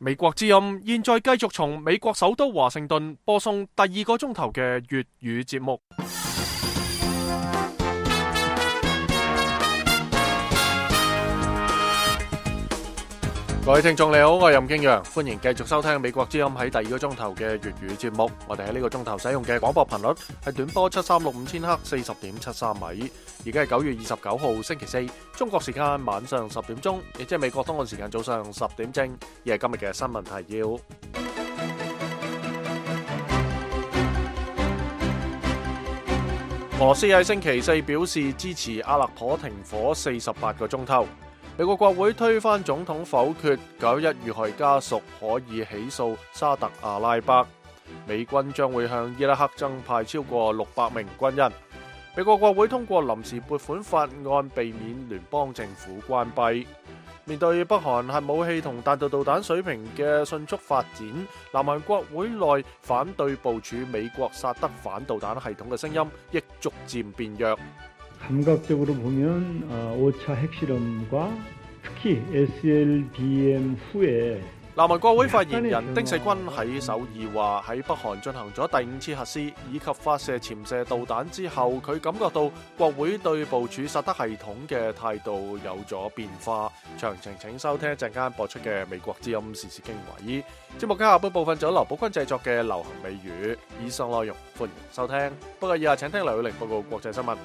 美國之音現在繼續從美國首都華盛頓播送第2個鐘頭嘅粵語節目。各位聽眾你好，我係任敬陽，歡迎繼續收聽美國之音喺第2個鐘頭嘅粵語節目。我哋喺呢個鐘頭使用嘅廣播頻率係短波7365千赫 40.73 米。而家係9月29號星期四，中國時間晚上10點鐘，亦即係美國東岸時間早上10點正。而係今日嘅新聞提要。俄羅斯喺星期四表示支持阿勒頗停火48個鐘頭。美國國會推翻總統否決911遇害家屬可以起訴沙特阿拉伯。美軍將會向伊拉克增派超過600名軍人。美國國會通過臨時撥款法案，避免聯邦政府關閉。面對北韓核武器同彈道導彈水平嘅迅速發展，南韓國會內反對部署美國薩德反導彈系統嘅聲音亦逐漸變弱。 감각적으로 보면 5차 핵실험과 특히 SLBM 후에 南韓國會發言人丁世均喺首爾話，喺北韓進行咗第5次核試以及發射潛射導彈之後，佢感覺到國會對部署薩德系統嘅態度有咗變化。詳情請收聽一陣間播出嘅美國之音時事經緯。節目嘅下半部分就有劉寶君製作嘅流行美語，以上內容歡迎收聽。不過以下請聽劉宇玲報告國際新聞。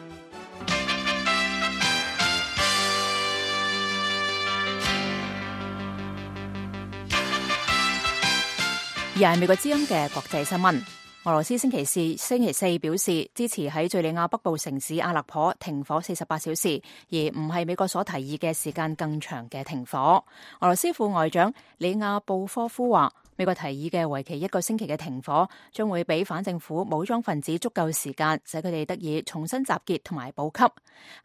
而係美國之音嘅國際新聞。俄羅斯星期四表示支持喺敘利亞北部城市阿勒頗停火48小時，而唔係美國所提議嘅時間更長嘅停火。俄羅斯副外長里亞布科夫話，美國提議嘅為期1個星期嘅停火，將會俾反政府武裝分子足夠時間，使佢哋得以重新集結同埋補給。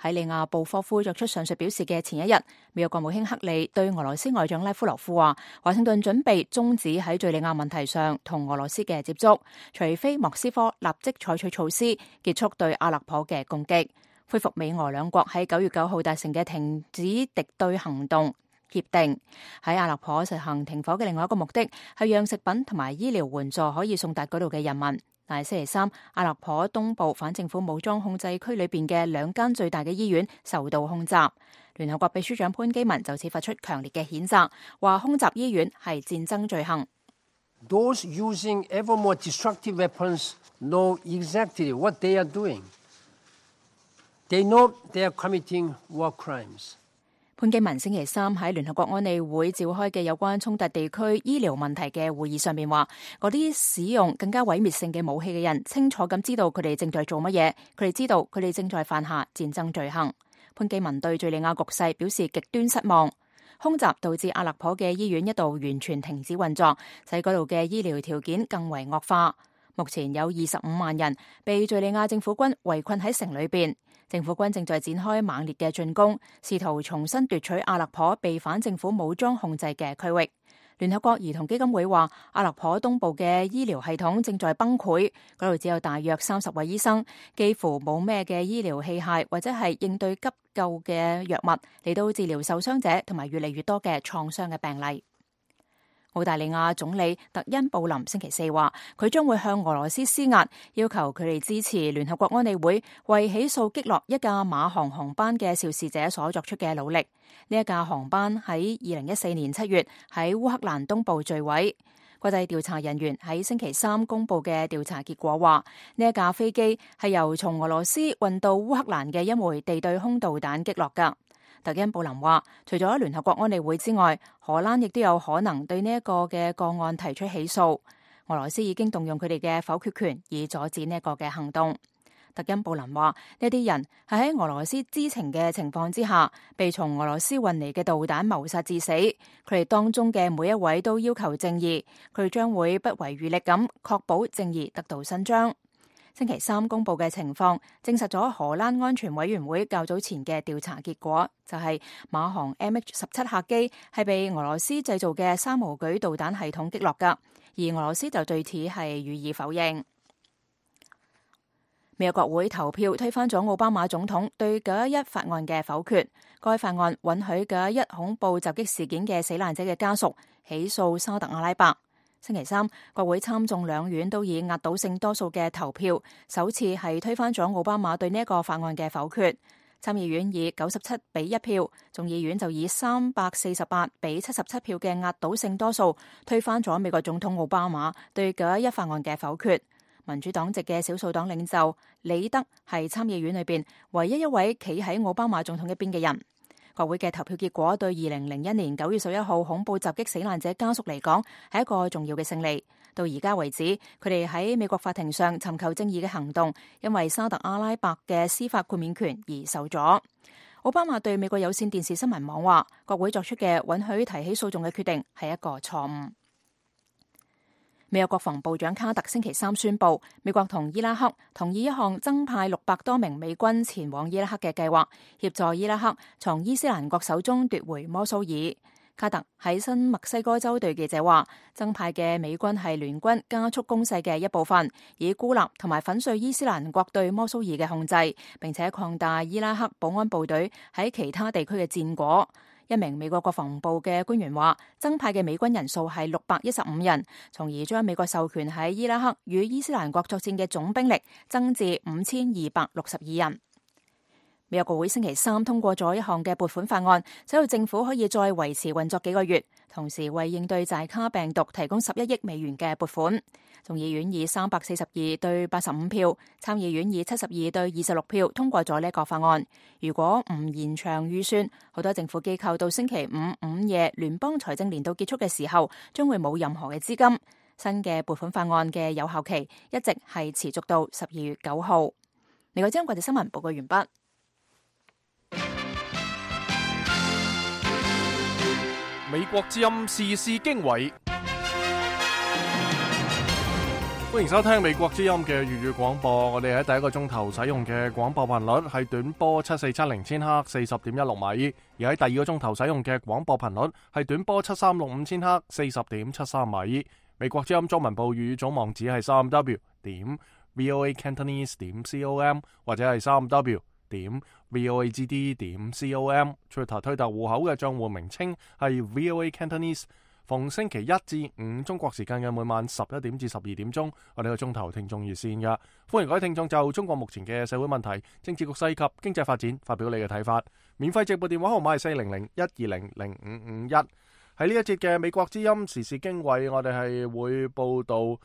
喺里亞布科夫作出上述表示嘅前一日，美國國務卿克利對俄羅斯外長拉夫羅夫話，華盛頓準備終止喺敘利亞問題上同俄羅斯嘅接觸，除非莫斯科立即採取措施結束對阿勒頗嘅攻擊，恢復美俄兩國喺9月9號達成嘅停止敵對行動協定。喺阿勒頗實行停火嘅另外一個目的係讓食品同埋醫療援助可以送達嗰度嘅人民。但係星期三，阿勒頗東部反政府武裝控制區裏邊嘅2間最大嘅醫院受到空襲。聯合國秘書長潘基文就此發出強烈嘅譴責，話空襲醫院係戰爭罪行。Those using ever more destructive weapons know exactly what they are doing. They know they are committing war crimes. 潘基文星期三喺聯合國安理會召開嘅有關衝突地區醫療問題嘅會議上面話，嗰啲使用更加毀滅性嘅武器嘅人清楚咁知道佢哋正在做乜嘢，佢哋知道佢哋正在犯下戰爭罪行。潘基文對敘利亞局勢表示極端失望。空襲導致阿勒頗嘅醫院一度完全停止運作，使嗰度嘅醫療條件更為惡化。目前有25萬人被敘利亞政府軍圍困喺城裏邊，政府軍正在展開猛烈嘅進攻，試圖重新奪取阿勒頗被反政府武裝控制嘅區域。聯合國兒童基金會話，阿勒頗東部嘅醫療系統正在崩潰，嗰度只有大約30位醫生，幾乎冇咩嘅醫療器械或者係應對急救嘅藥物嚟到治療受傷者同埋越嚟越多嘅創傷嘅病例。澳大利亞總理特恩布林星期四話，佢將會向俄羅斯施壓，要求佢哋支持聯合國安理會為起訴擊落一架馬航航班嘅肇事者所作出嘅努力。呢一架航班喺2014年7月喺烏克蘭東部墜毀。國際調查人員喺星期三公布嘅調查結果話，呢一架飛機係由從俄羅斯運到烏克蘭嘅一枚地對空導彈擊落噶。特恩布林話，除咗聯合國安理會之外，荷蘭亦都有可能對呢一個嘅個案提出起訴。俄羅斯已經動用佢哋嘅否決權，以阻止呢一個嘅行動。特恩布林話，呢啲人係喺俄羅斯知情嘅情況之下，被從俄羅斯運嚟嘅導彈謀殺致死。佢哋當中嘅每一位都要求正義，佢哋將會不遺餘力咁確保正義得到伸張。星期三公布嘅情況證實咗荷蘭安全委員會較早前嘅調查結果，就係馬航 MH17 客機係被俄羅斯製造嘅山毛櫸導彈系統擊落噶，而俄羅斯就對此係予以否認。美國國會投票推翻咗奧巴馬總統對911法案嘅否決，該法案允許911恐怖襲擊事件嘅死難者嘅家屬起訴沙特阿拉伯。星期三，國會參眾兩院都以壓倒性多數嘅投票，首次係推翻咗奧巴馬對呢一個法案嘅否決。參議院以97-1票，眾議院就以348-77票嘅壓倒性多數推翻咗美國總統奧巴馬對911法案嘅否決。民主黨籍嘅少數黨領袖李德係參議院裏邊唯一一位企喺奧巴馬總統一邊嘅人。國會嘅投票結果對2001年9月11號恐怖襲擊死難者家屬嚟講係一個重要嘅勝利。到而家為止，佢哋喺美國法庭上尋求正義嘅行動，因為沙特阿拉伯嘅司法豁免權而受阻。奧巴馬對美國有線電視新聞網話，國會作出嘅允許提起訴訟嘅決定係一個錯誤。美國國防部長卡特星期三宣布，美國同伊拉克同意一項增派600多名美軍前往伊拉克嘅計劃，協助伊拉克從伊斯蘭國手中奪回摩蘇爾。卡特喺新墨西哥州對記者話，增派嘅美軍係聯軍加速攻勢嘅一部分，以孤立同埋粉碎伊斯蘭國對摩蘇爾嘅控制，並且擴大伊拉克保安部隊喺其他地區嘅戰果。一名美國國防部嘅官員話，增派嘅美軍人數係615人，從而將美國授權喺伊拉克與伊斯蘭國作戰嘅總兵力增至5262人。美國國會星期三通過咗一項嘅撥款法案，使到政府可以再維持運作幾個月，同時為應對寨卡病毒提供11億美元嘅撥款。眾議院以342-85票，參議院以72-26票通過咗呢一個法案。如果唔延長預算，好多政府機構到星期五午夜聯邦財政年度結束嘅時候，將會冇任何嘅資金。新嘅撥款法案嘅有效期一直係持續到12月9號。另外，將國際新聞報告完畢。美國之音時事經緯，歡迎收聽美國之音嘅粵語廣播。我哋喺第一個鐘頭使用嘅廣播頻率係短波7470千赫40.16米，而喺第二個鐘頭使用嘅廣播頻率係短波7365千赫40.73米。美國之音中文部粵語總網址係3w.voacantonese.com 或者係3w.voagd.com。Twitter 推特戶口嘅賬戶名稱係 VOA Cantonese。逢星期一至五中國時間嘅每晚11點至12點鐘，我哋個鐘頭聽眾熱線嘅，歡迎各位聽眾就中國目前嘅社會問題、政治局勢及經濟發展發表你嘅睇法。免費直播電話號碼係400-120-0551。喺呢一節嘅美國之音時事經緯，我哋係會報道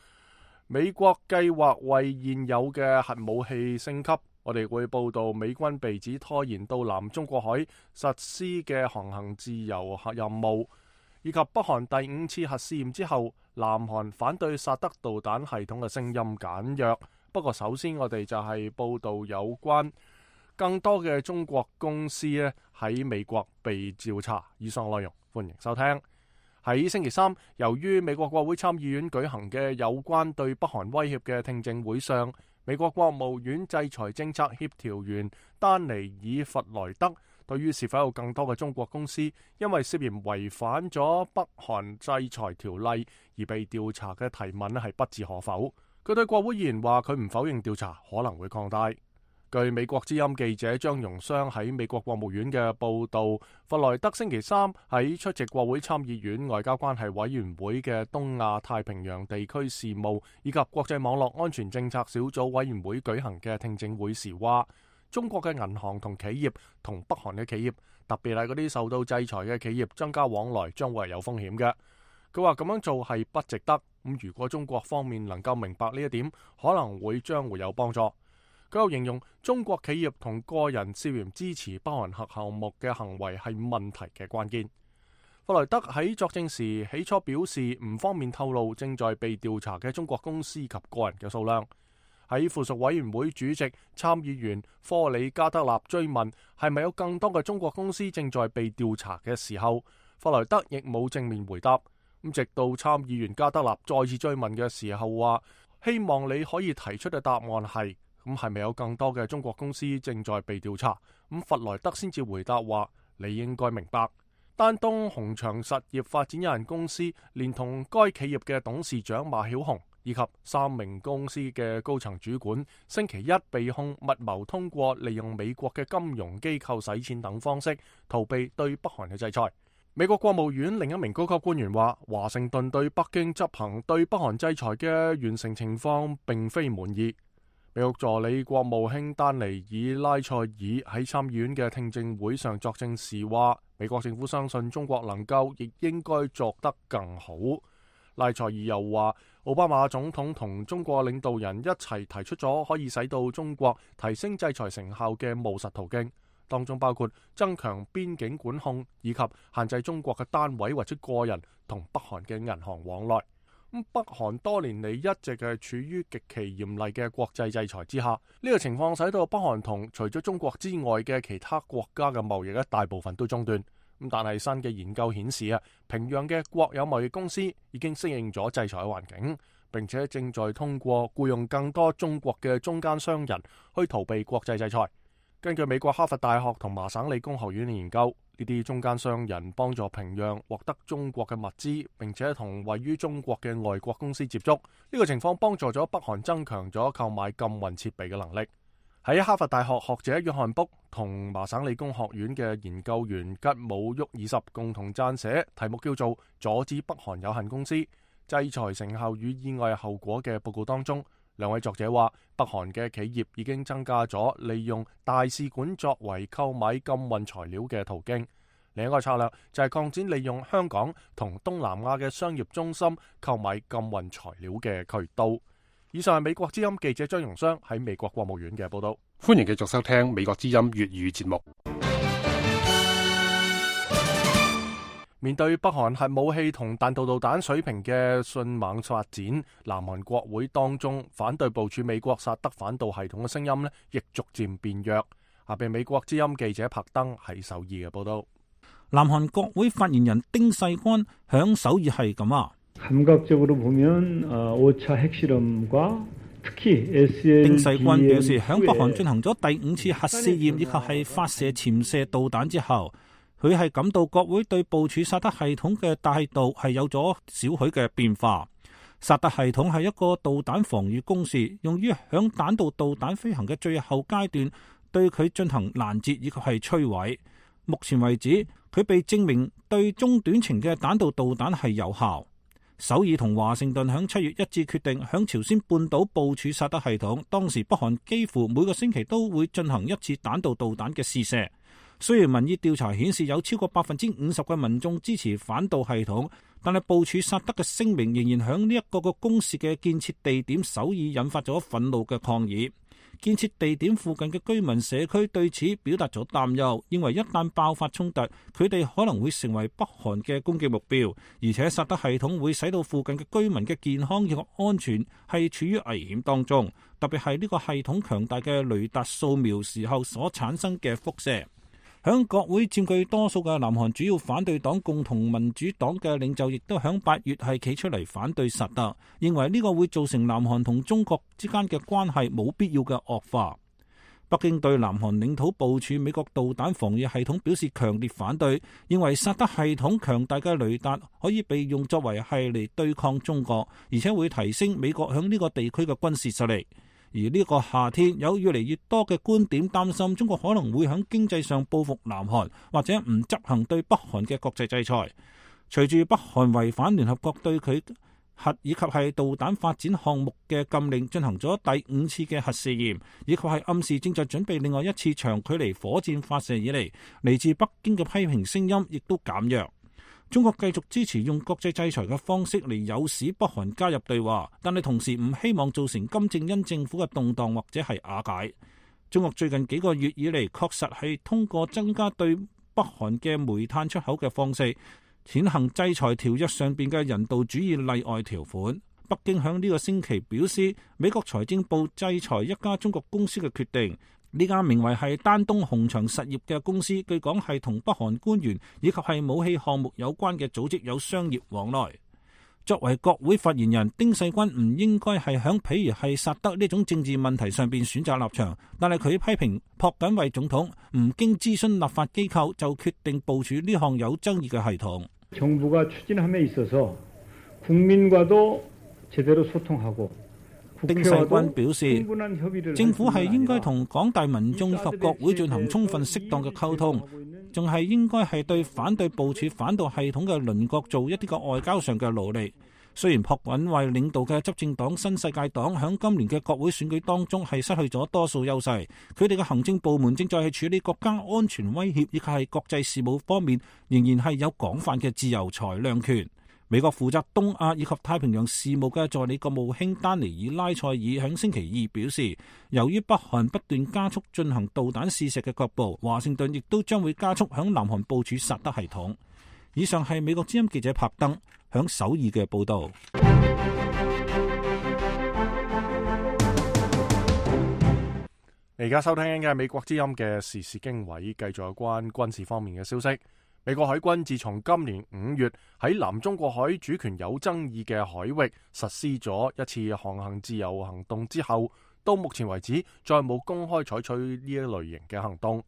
美國計劃為現有嘅核武器升級。我哋會報道美軍被指拖延到南中國海實施嘅航行自由任務，以及北韓第5次核試驗之後，南韓反對薩德導彈系統嘅聲音簡約。不過首先我哋就係報道有關更多嘅中國公司咧喺美國被調查。以上內容歡迎收聽。喺星期三，由於美國國會參議院舉行嘅有關對北韓威脅嘅聽證會上，美國國務院制裁政策協調員丹尼爾弗萊德對於是否有更多嘅中國公司因為涉嫌違反咗北韓制裁條例而被調查嘅提問係不置可否。佢對國會議員話，佢唔否認調查可能會擴大。據美國之音記者張榮湘喺美國國務院嘅報道，弗萊德星期三喺出席國會參議院外交關係委員會嘅東亞太平洋地區事務以及國際網絡安全政策小組委員會舉行嘅聽證會時話，中國嘅銀行同企業同北韓嘅企業，特別係嗰啲受到制裁嘅企業增加往來將會係有風險嘅。佢話咁樣做係不值得。咁如果中國方面能夠明白呢一點，可能將會有幫助。佢又形容中國企業同個人涉嫌支持北韓核項目嘅行為係問題嘅關鍵。弗萊德喺作證時起初表示唔方便透露正在被調查嘅中國公司及個人嘅數量。喺附屬委員會主席參議員科里加德納追問係咪有更多嘅中國公司正在被調查嘅時候，弗萊德亦冇正面回答。咁直到參議員加德納再次追問嘅時候話，希望你可以提出嘅答案係咪有更多嘅中國公司正在被調查？咁弗萊德先至回答話，你應該明白，丹東鴻翔實業發展有限公司連同該企業嘅董事長馬曉紅以及3名公司嘅高層主管，星期一被控密謀通過利用美國嘅金融機構洗錢等方式逃避對北韓嘅制裁。美國國務院另一名高級官員話，華盛頓對北京執行對北韓制裁嘅完成情況並非滿意。美國助理國務卿丹尼爾拉塞爾喺參議院嘅聽證會上作證時話，美國政府相信中國能夠亦應該做得更好。拉塞爾又話，奧巴馬總統同中國領導人一齊提出咗可以使到中國提升制裁成效嘅務實途徑，當中包括增強邊境管控以及限制中國嘅單位或者個人同北韓嘅銀行往來。北韓多年嚟一直係處於極其嚴厲嘅國際制裁之下，呢個情況使到北韓同除咗中國之外嘅其他國家嘅貿易大部分都中斷。但係新嘅研究顯示平壤嘅國有貿易公司已經適應咗制裁嘅環境，並且正在通過僱用更多中國嘅中間商人去逃避國際制裁。根據美國哈佛大學同麻省理工學院嘅研究，呢啲中間商人幫助平壤獲得中國嘅物資，並且同位於中國嘅外國公司接觸。呢個情況幫助咗北韓增強咗購買禁運設備嘅能力。喺哈佛大學學者約翰卜同麻省理工學院嘅研究員吉姆沃爾什共同撰寫題目叫做《阻止北韓有限公司制裁成效與意外後果》嘅報告當中，兩位作者話，北韓嘅企業已經增加咗利用大使館作為購買禁運材料嘅途徑。另一個策略就係擴展利用香港同東南亞嘅商業中心購買禁運材料嘅渠道。以上係美國之音記者張榮雙喺美國國務院嘅報道。歡迎繼續收聽美國之音粵語節目。面對北韓核武器同彈道導彈水平嘅迅猛發展，南韓國會當中反對部署美國薩德反導系統嘅聲音亦逐漸變弱。下邊美國之音記者柏登喺首爾嘅報道。南韓國會發言人丁世軍響首爾係咁話。丁世軍表示，響北韓進行咗第5次核試驗以及係發射潛射導彈之後，佢係感到國會對部署薩德系統嘅態度係有咗少許嘅變化。薩德系統係一個導彈防禦工事，用於響彈道導彈飛行嘅最後階段對佢進行攔截以及係摧毀。目前為止，佢被證明對中短程嘅彈道導彈係有效。首爾同華盛頓響7月一致決定響朝鮮半島部署薩德系統，當時北韓幾乎每個星期都會進行一次彈道導彈嘅試射。雖然民意調查顯示有超過50%嘅民眾支持反導系統，但係部署薩德嘅聲明仍然響呢一個公示嘅建設地點首爾引發咗憤怒嘅抗議。建設地點附近嘅居民社區對此表達咗擔憂，認為一旦爆發衝突，佢哋可能會成為北韓嘅攻擊目標，而且薩德系統會使到附近嘅居民嘅健康以及安全係處於危險當中，特別係呢個系統強大嘅雷達掃描時候所產生嘅輻射。響國會佔據多數嘅南韓主要反對黨共同民主黨嘅領袖亦都響8月係企出嚟反對薩德，認為呢個會造成南韓同中國之間嘅關係冇必要嘅惡化。北京對南韓領土部署美國導彈防禦系統表示強烈反對，認為薩德系統強大嘅雷達可以被用作為係嚟對抗中國，而且會提升美國響呢個地區嘅軍事實力。而呢個夏天有越嚟越多嘅觀點擔心中國可能會喺經濟上報復南韓，或者唔執行對北韓嘅國際制裁。隨住北韓違反聯合國對佢核以及係導彈發展項目嘅禁令，進行咗第5次嘅核試驗，以及係暗示正在準備另外一次長距離火箭發射以嚟，嚟自北京嘅批評聲音亦都減弱。中國繼續支持用國際制裁嘅方式嚟誘使北韓加入對話，但係同時唔希望造成金正恩政府嘅動盪或者係瓦解。中國最近幾個月以嚟確實係通過增加對北韓嘅煤炭出口嘅方式，踐行制裁條約上邊嘅人道主義例外條款。北京響呢個星期表示，美國財政部制裁一家中國公司嘅決定。呢家名為係丹東紅場實業嘅公司，據講係同北韓官員以及係武器項目有關嘅組織有商業往來。作為國會發言人，丁世軍唔應該係響譬如係薩德呢種政治問題上邊選擇立場，但係佢批評朴槿惠總統唔經諮詢立法機構就決定部署呢項有爭議嘅系統。정부가 추진함에 있어서 국민과도 제대로 소통하고丁世軍表示，政府係應該同廣大民眾以及國會進行充分適當嘅溝通，仲係應該係對反對部署反導系統嘅鄰國做一啲個外交上嘅努力。雖然朴槿惠領導嘅執政黨新世界黨響今年嘅國會選舉當中係失去咗多數優勢，佢哋嘅行政部門正在係處理國家安全威脅，以及係國際事務方面仍然係有廣泛嘅自由裁量權。美國負責東亞以及太平洋事務嘅助理國務卿丹尼爾拉塞爾響星期二表示，由於北韓不斷加速進行導彈試射嘅腳步，華盛頓亦都將會加速響南韓部署薩德系統。以上係美國之音記者柏登響首爾嘅報道。而家收聽嘅係美國之音嘅時事經緯，繼續有關軍事方面嘅消息。美國海軍自從今年5月喺南中國海主權有爭議嘅海域實施咗一次航行自由行動之後，到目前為止再冇公開採取呢一類型嘅行動。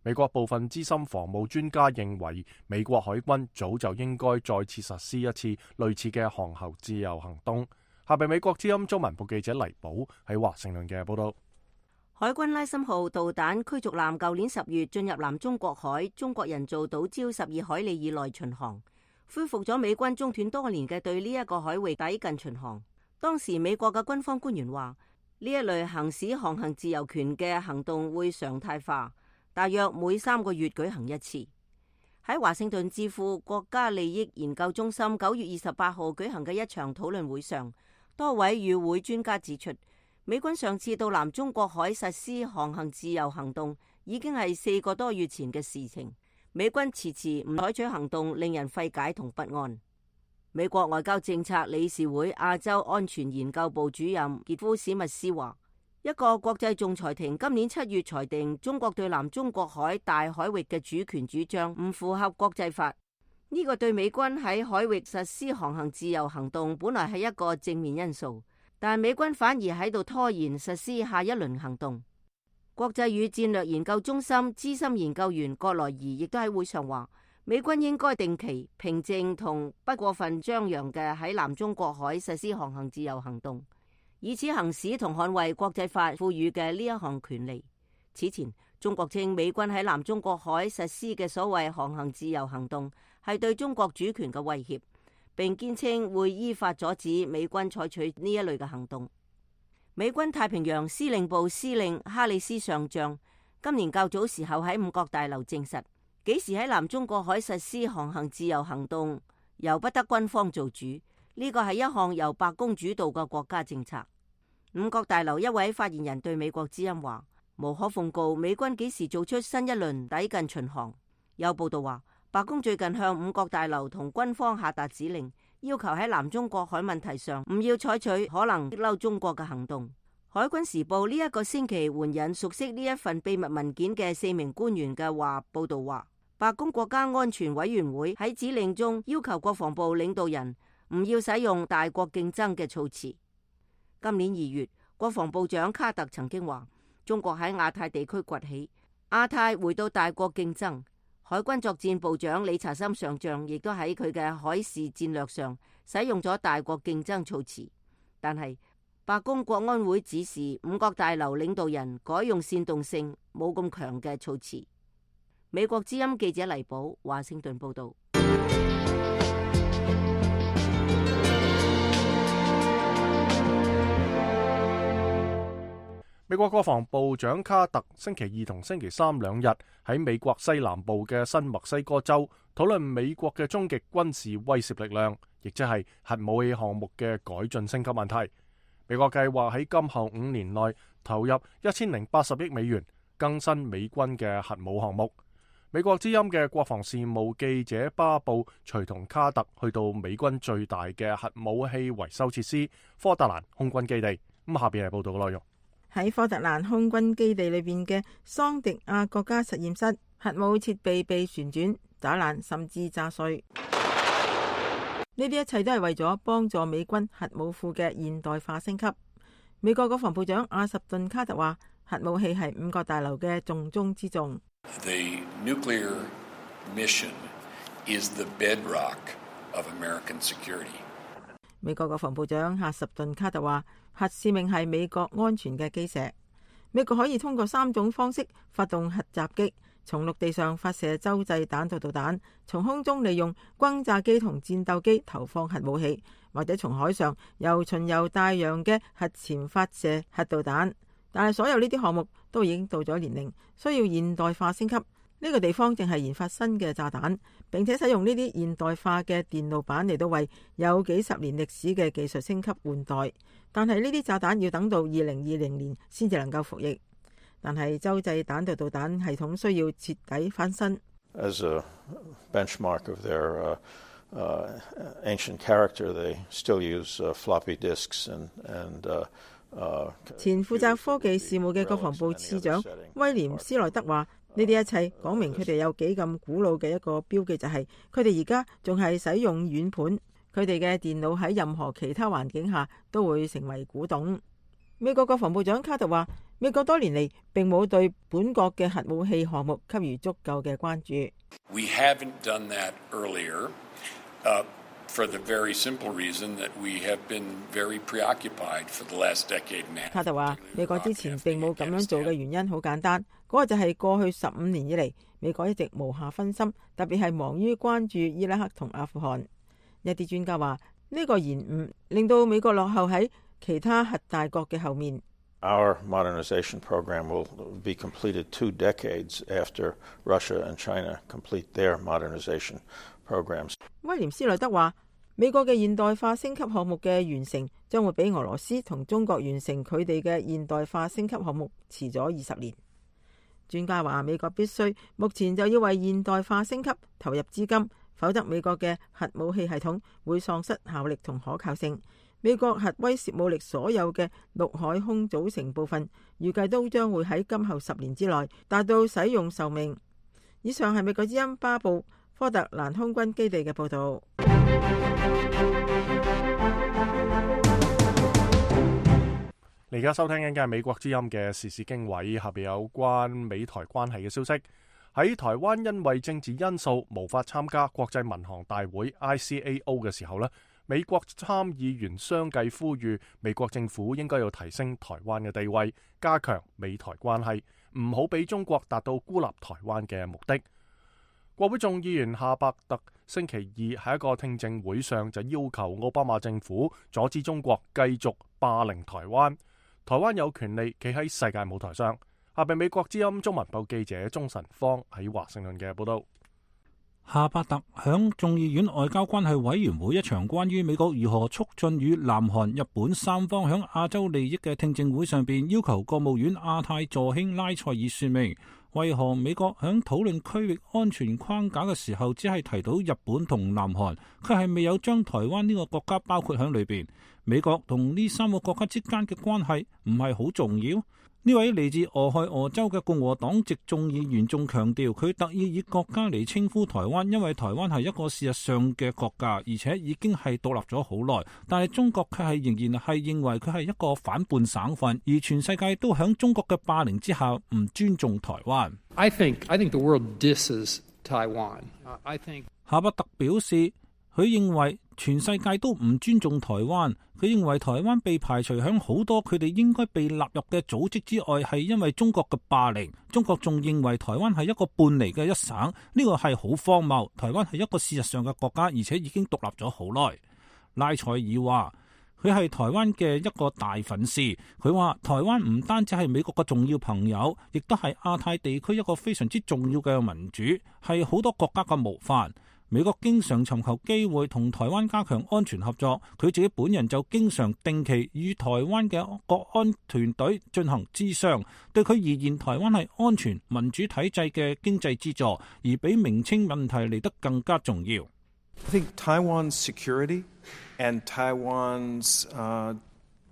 美國部分資深防務專家認為，美國海軍早就應該再次實施一次類似嘅航行自由行動。下邊美國之音中文部記者黎寶喺華盛頓嘅報道。海軍拉森號導彈驅逐艦舊年10月進入南中國海中國人造島礁12海里以內巡航，恢復咗美軍中斷多年嘅對呢一個海域抵近巡航。當時美國嘅軍方官員話，呢一類行使航行自由權嘅行動會常態化，大約每3個月舉行一次。喺華盛頓智庫國家利益研究中心9月28號舉行嘅一場討論會上，多位與會專家指出，美軍上次到南中國海實施航行自由行動已經係4個多月前嘅事情。美軍遲遲唔採取行動，令人費解同不安。美國外交政策理事會亞洲安全研究部主任傑夫史密斯話，一個國際仲裁庭今年7月裁定中國對南中國海大海域嘅主權主張唔符合國際法。呢個對美軍喺海域實施航行自由行動本來係一個正面因素，但美軍反而喺度拖延實施下一輪行動。國際與戰略研究中心資深研究員葛萊儀亦都喺會上話，美軍應該定期、平靜同不過分張揚嘅喺南中國海實施航行自由行動，以此行使同捍衛國際法賦予嘅呢一項權利。此前，中國稱美軍喺南中國海實施嘅所謂航行自由行動係對中國主權嘅威脅，並堅稱會依法阻止美軍採取呢一類嘅行動。美軍太平洋司令部司令哈里斯上將今年較早時候喺五角大樓證實，幾時喺南中國海實施航行自由行動由不得軍方做主，呢個係一項由白宮主導嘅國家政策。五角大樓一位發言人對美國之音話，無可奉告美軍幾時做出新一輪抵近巡航。有報道話，白宮最近向五角大樓同軍方下達指令，要求喺南中國海問題上唔要採取可能激嬲中國嘅行動。海軍時報呢一個星期援引熟悉呢一份秘密文件嘅4名官員嘅話，報道話，白宮國家安全委員會喺指令中要求國防部領導人唔要使用大國競爭嘅措辭。今年2月，國防部長卡特曾經話，中國喺亞太地區崛起，亞太回到大國競爭。海軍作戰部長理查森上將亦都喺佢嘅海事戰略上使用咗大國競爭措辭，但係白宮國安會指示五角大樓領導人改用煽動性冇咁強嘅措辭。美國之音記者黎寶華盛頓報道。美國國防部長卡特星期2同星期3兩日喺美國西南部嘅新墨西哥州討論美國嘅終極軍事威懾力量，亦即係核武器項目嘅改進升級問題。美國計劃喺今後5年內投入1080億美元更新美軍嘅核武項目。美國之音嘅國防事務記者巴布隨同卡特去到美軍最大嘅核武器維修設施科特蘭空軍基地。咁下邊係報道嘅內容。喺科特蘭空軍基地裏邊嘅桑迪亞國家實驗室，核武設備被旋轉、打爛甚至炸碎。呢啲一切都係為咗幫助美軍核武庫嘅現代化升級。美國國防部長阿什頓卡特話，核武器係五角大樓嘅重中之重。The nuclear mission is the bedrock of American security. 美國國防部長阿什頓卡特話，核使命係美國安全嘅基石。美國可以通過3種方式發動核襲擊，從陸地上發射洲際彈道導彈，從空中利用轟炸機同戰鬥機投放核武器，或者從海上由巡遊大洋嘅核潛發射核導彈。但係所有呢啲項目都已經到咗年齡，需要現代化升級。呢個地方正係研發新嘅炸彈，並且使用呢啲現代化嘅電路板嚟到為有幾十年歷史嘅技術升級換代。但係呢啲炸彈要等到2020年先至能夠服役。但係洲際彈道導彈系統需要徹底翻新。As a benchmark of their ancient character, they still use floppy disks and 前負責科技事務嘅國防部次長威廉斯萊德話：呢啲一切講明佢哋有幾咁古老嘅一個標記，就係佢哋而家仲係使用軟盤，佢哋嘅電腦喺任何其他環境下都會成為古董。美國國防部長卡特話：美國多年嚟並冇對本國嘅核武器項目給予足夠嘅關注。We haven't done that earlier, for the very simple reason that we have been very preoccupied for the last decade and a half. 卡特話：美國之前並冇咁樣做嘅原因好簡單，嗰個就係過去15年以嚟，美國一直無暇分心，特別係忙於關注伊拉克同阿富汗。一啲專家話呢個延誤令到美國落後喺其他核大國嘅後面。Our modernization program will be completed 2 decades after Russia and China complete their modernization programs. 威廉斯萊德話：美國嘅現代化升級項目嘅完成將會比俄羅斯同中國完成佢哋嘅現代化升級項目遲咗20年。專家話：美國必須目前就要為現代化升級投入資金，否則美國嘅核武器系統會喪失效力同可靠性。美國核威懾武力所有嘅陸海空組成部分，預計都將會喺今後10年之內達到使用壽命。以上係美國之音巴布科特蘭空軍基地嘅報導。你而家收聽緊嘅係美國之音嘅時事經緯，下邊有關美台關係嘅消息。喺台灣因為政治因素無法參加國際民航大會 ICAO 嘅時候呢，美國參議員相繼呼籲美國政府應該要提升台灣嘅地位，加強美台關係，唔好俾中國達到孤立台灣嘅目的。國會眾議員夏伯特星期二喺一個聽證會上就要求奧巴馬政府阻止中國繼續霸凌台灣，台灣有權利企喺世界舞台上。下邊美國之音中文部記者鍾晨芳喺華盛頓嘅報道。夏伯特響眾議院外交關係委員會一場關於美國如何促進與南韓、日本三方響亞洲利益嘅聽證會上邊，要求國務院亞太助卿拉塞爾說明，為何美國響討論區域安全框架嘅時候，只係提到日本同南韓，佢係未有將台灣呢個國家包括響裏邊。美國同呢3個國家之間嘅關係唔係好重要？呢位嚟自俄亥俄州嘅共和黨籍眾議員仲強調，佢特意以國家嚟稱呼台灣，因為台灣係一個事實上嘅國家，而且已經係獨立咗好耐。但係中國卻係仍然係認為佢係一個反叛省份，而全世界都響中國嘅霸凌之下唔尊重台灣。I think the world disses Taiwan. I think 夏伯特表示，佢認為全世界都唔尊重台灣，佢認為台灣被排除響好多佢哋應該被納入嘅組織之外，係因為中國嘅霸凌。中國仲認為台灣係一個半離嘅一省，呢個係好荒謬。台灣係一個事實上嘅國家，而且已經獨立咗好耐。拉塞爾話佢係台灣嘅一個大粉絲，佢話台灣唔單止係美國嘅重要朋友，亦都係亞太地區一個非常之重要嘅民主，係好多國家嘅模範。美國經常尋求機會同台灣加強安全合作，佢自己本人就經常定期與台灣嘅國安團隊進行諮商。對佢而言，台灣係安全民主體制嘅經濟支柱，而比名稱問題嚟得更加重要。I think Taiwan's security and Taiwan's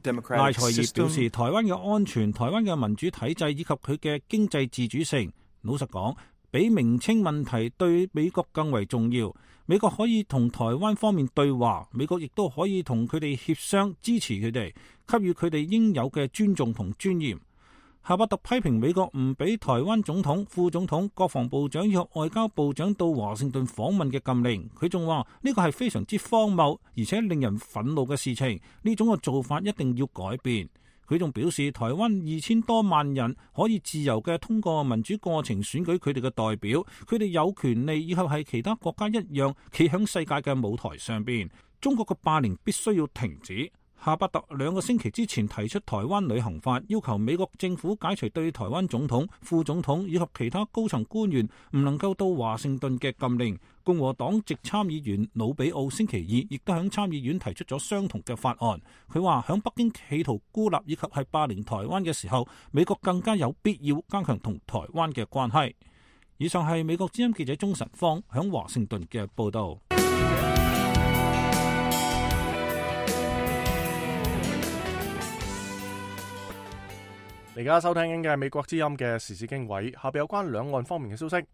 democratic system. 賴財業表示，台灣嘅安全、台灣嘅民主體制以及佢嘅經濟自主性，老實講，比名稱問題對美國更為重要。美國可以同台灣方面對話，美國亦都可以同佢哋協商，支持佢哋，給予佢哋應有嘅尊重同尊嚴。夏伯特批評美國唔俾台灣總統、副總統、國防部長以及外交部長到華盛頓訪問嘅禁令。佢仲話呢個係非常之荒謬，而且令人憤怒嘅事情。呢種嘅做法一定要改變。佢仲表示，台灣2000多萬人可以自由嘅通過民主過程選舉佢哋嘅代表，佢哋有權利以後係其他國家一樣企響世界嘅舞台上邊。中國嘅霸凌必須要停止。夏伯特2個星期之前提出台灣旅行法，要求美國政府解除對台灣總統、副總統以及其他高層官員唔能夠到華盛頓嘅禁令。共和黨籍參議員魯比奧星期二亦都響參議院提出咗相同嘅法案。佢話響北京企圖孤立以及係霸凌台灣嘅時候，美國更加有必要加強同台灣嘅關係。以上係美國之音記者鍾晨芳響華盛頓嘅報道。而家收聽緊嘅係美國之音嘅時事經緯，下邊有關兩岸方面嘅消息。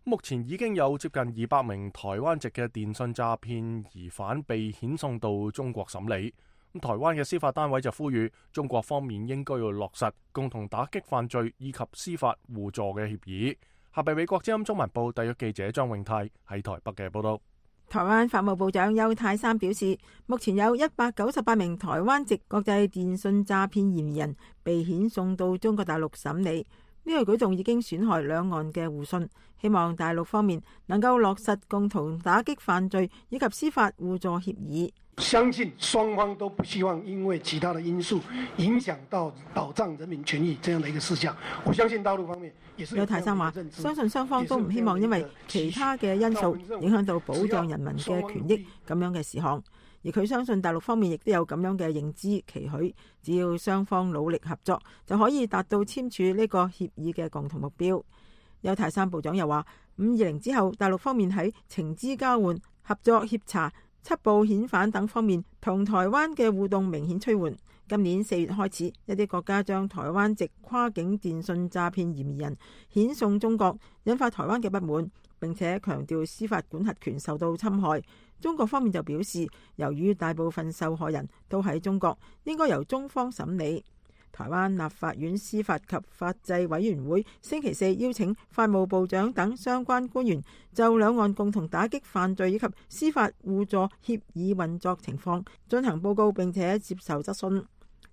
目前已經有接近200名台灣籍嘅電信詐騙疑犯被遣送到中國審理。台灣嘅司法單位就呼籲中國方面應該要落實共同打擊犯罪以及司法互助嘅協議。下邊美國之音中文部特約記者張永泰喺台北嘅報道。台灣法務部長邱太三表示，目前有198名台灣籍國際電信詐騙嫌疑人被遣送到中國大陸審理。呢個舉動已經損害兩岸嘅互信，希望大陸方面能夠落實共同打擊犯罪以及司法互助協議。相信雙方都不希望因為其他的因素影響到保障人民權益這樣的一個事項。我相信大陸方面也是。邱太三話，相信雙方都唔希望因為其他嘅因素影響到保障人民嘅權益咁樣嘅事項。而佢相信大陸方面亦都有咁樣嘅認知期許，只要雙方努力合作，就可以達到簽署呢個協議嘅共同目標。邱太三部長又話，520之後，大陸方面喺情資交換、合作協查、緝捕遣返等方面同台灣嘅互動明顯趨緩。今年4月開始，一啲國家將台灣籍跨境電信詐騙嫌疑人遣送中國，引發台灣嘅不滿，並且強調司法管轄權受到侵害。中國方面就表示，由於大部分受害人都喺中國，應該由中方審理。台灣立法院司法及法制委員會星期四邀請法務部長等相關官員就兩岸共同打擊犯罪以及司法互助協議運作情況進行報告，並且接受質詢。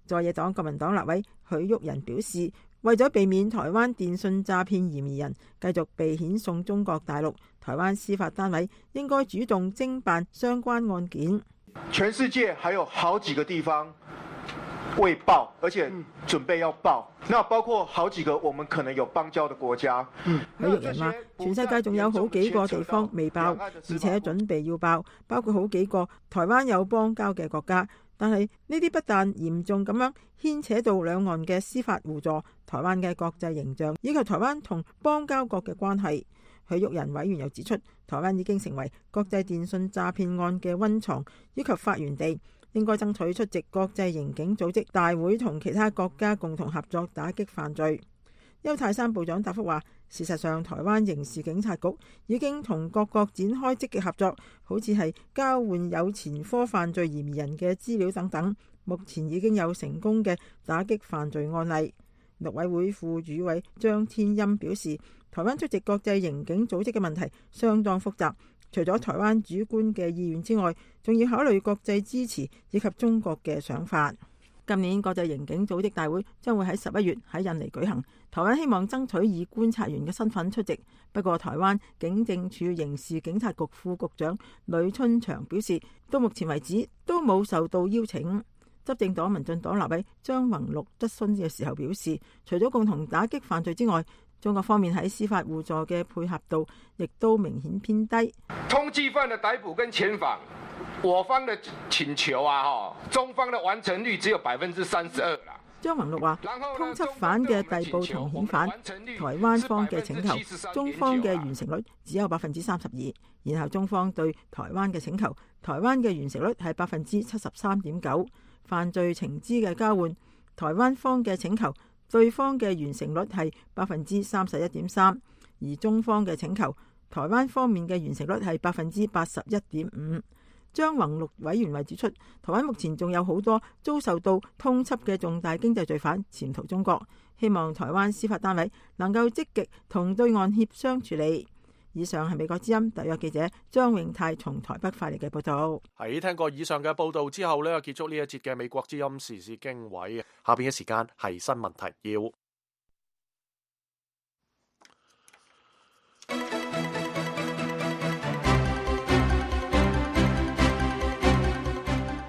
在野黨國民黨立委許旭仁表示，為咗避免台灣電信詐騙嫌疑人繼續被遣送中國大陸，台灣司法單位應該主動偵辦相關案件。全世界還有好幾個地方未報，而且準備要報，那包括好幾個我們可能有邦交的國家。許玉仁話，全世界仲有好幾個地方未報，而且準備要報，包括好幾個台灣有邦交嘅國家。但係呢啲不但嚴重咁樣牽扯到兩岸嘅司法互助、台灣嘅國際形象以及台灣同邦交國嘅關係。許玉仁委員又指出，台灣已經成為國際電信詐騙案嘅溫床以及發源地，應該爭取出席國際刑警組織大會，同其他國家共同合作打擊犯罪。邱太三部長答覆話，事實上台灣刑事警察局已經同各國展開積極合作，好似係交換有前科犯罪嫌疑人嘅資料等等，目前已經有成功嘅打擊犯罪案例。陸委會副主委張天欽表示，台灣出席國際刑警組織嘅問題相當複雜，除咗台灣主觀嘅意願之外，仲要考慮國際支持以及中國嘅想法。今年國際刑警組織大會將會喺11月喺印尼舉行，台灣希望爭取以觀察員嘅身份出席。不過台灣警政署刑事警察局副局長呂春祥表示，到目前為止都冇受到邀請。執政黨民進黨立委張宏陸質詢嘅時候表示，除咗共同打擊犯罪之外，中國方面喺司法互助嘅配合度亦都明顯偏低。通緝犯的逮捕跟遣返，我方的請求中方的完成率只有32%啦。張宏陸話，通緝犯嘅逮捕同遣返，台灣方嘅請求，中方嘅完成率只有32%，然後中方對台灣嘅請求，台灣嘅完成率係73.9%。犯罪情資嘅交換，台灣方嘅請求，對方嘅完成率係31.3%，而中方嘅請求，台灣方面嘅完成率係81.5%。張宏陸委員為指出，台灣目前仲有好多遭受到通緝嘅重大經濟罪犯潛逃中國，希望台灣司法單位能夠積極同對岸協商處理。以上係美國之音特約記者張永泰從台北發嚟嘅報道。喺聽過以上嘅報道之後呢，結束呢一節嘅美國之音時事經緯。下邊嘅時間係新聞提要。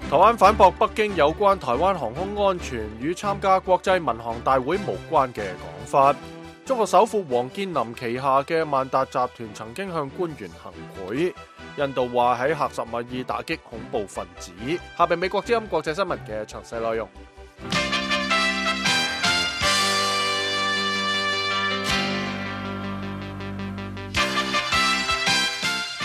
台灣反駁北京有關台灣航空安全與參加國際民航大會無關嘅講法。中國首富王健林旗下嘅萬達集團曾經向官員行賄。印度話喺喀什米爾打擊恐怖分子。下邊美國之音國際新聞嘅詳細內容。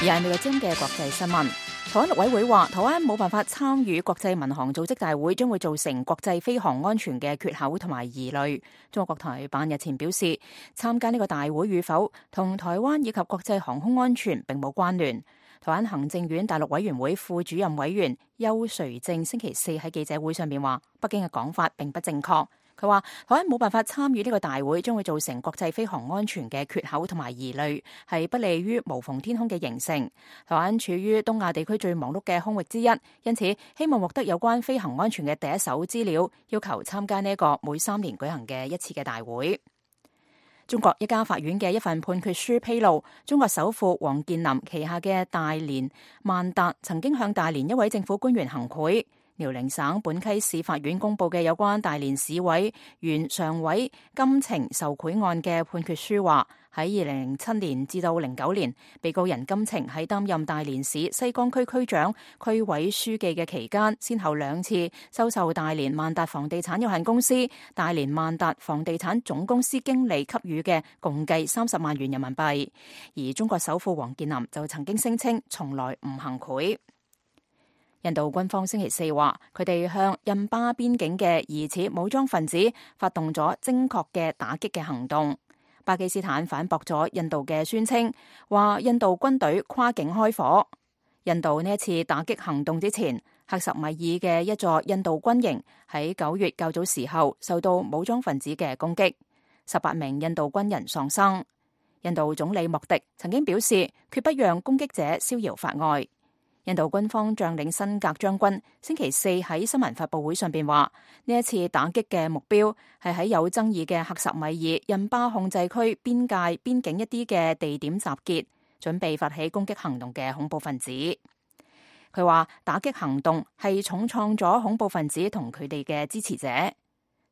而係美國之音嘅國際新聞。台灣陸委會話，台灣冇辦法參與國際民航組織大會，將會造成國際飛航安全嘅缺口同埋疑慮。中國國台辦日前表示，參加呢個大會與否同台灣以及國際航空安全並冇關聯。台灣行政院大陸委員會副主任委員邱垂正星期四喺記者會上面話，北京嘅講法並不正確。佢話台灣冇辦法參與呢個大會，將會造成國際飛航安全嘅缺口同埋疑慮，係不利於無縫天空嘅形成。台灣處於東亞地區最忙碌嘅空域之一，因此希望獲得有關飛行安全嘅第一手資料，要求參加呢一個每3年舉行嘅一次嘅大會。中國一家法院嘅一份判決書披露，中國首富王健林旗下嘅大連萬達曾經向大連一位政府官員行賄。遼寧省本溪市法院公布嘅有關大連市委原常委金晴受賄案嘅判決書話，喺2007年至到09年，被告人金晴喺擔任大連市西江區區長、區委書記嘅期間，先後2次收受大連萬達房地產有限公司、大連萬達房地產總公司經理給予嘅共計30萬元人民幣。而中國首富王健林就曾經聲稱從來唔行賄。印度軍方星期四話，佢哋向印巴邊境嘅疑似武裝分子發動咗精確嘅打擊嘅行動。巴基斯坦反駁咗印度嘅宣稱，話印度軍隊跨境開火。印度呢一次打擊行動之前，喀什米爾嘅一座印度軍營喺9月較早時候受到武裝分子嘅攻擊，18名印度軍人喪生。印度總理莫迪曾經表示，決不讓攻擊者逍遙法外。印度軍方將領辛格將軍星期四喺新聞發佈會上邊話，呢一次打擊嘅目標係喺有爭議嘅喀什米爾印巴控制區邊境一啲嘅地點集結，準備發起攻擊行動嘅恐怖分子。佢話打擊行動係重創咗恐怖分子同佢哋嘅支持者。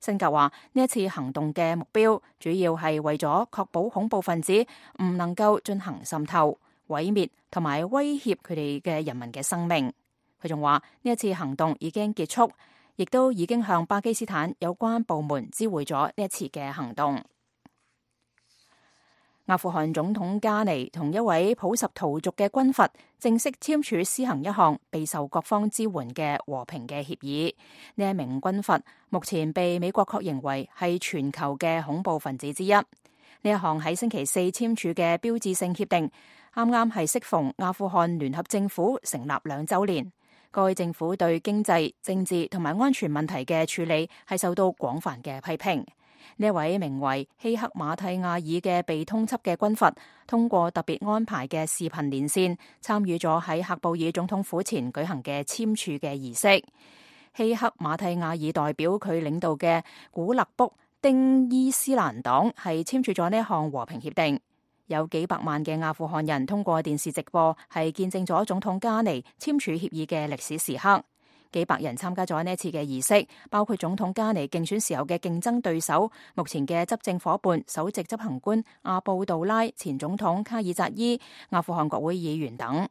辛格話呢一次行動嘅目標主要係為咗確保恐怖分子唔能夠進行滲透、毀滅同埋威脅佢哋嘅人民嘅生命。佢仲話呢一次行動已經結束，亦都已經向巴基斯坦有關部門知會咗呢一次嘅行動。阿富汗總統加尼同一位普什圖族嘅軍閥正式簽署施行一項備受各方支援嘅和平嘅協議。呢一名軍閥目前被美國確認為係全球嘅恐怖分子之一。呢一項喺星期四簽署嘅標誌性協定，啱啱係適逢阿富汗聯合政府成立2週年。該政府對經濟、政治同埋安全問題嘅處理係受到廣泛嘅批評。呢位名為希克馬蒂亞爾嘅被通緝嘅軍閥，通過特別安排嘅視頻連線，參與咗喺喀布爾總統府前舉行嘅簽署嘅儀式。希克馬蒂亞爾代表佢領導嘅古勒卜丁伊斯蘭黨係簽署咗呢一項和平協定。有幾百萬嘅阿富汗人通過電視直播，係見證咗總統加尼簽署協議嘅歷史時刻。幾百人參加咗呢一次嘅儀式，包括總統加尼競選時候嘅競爭對手、目前嘅執政夥伴、首席執行官阿布杜拉、前總統卡爾扎伊、阿富汗國會議員等。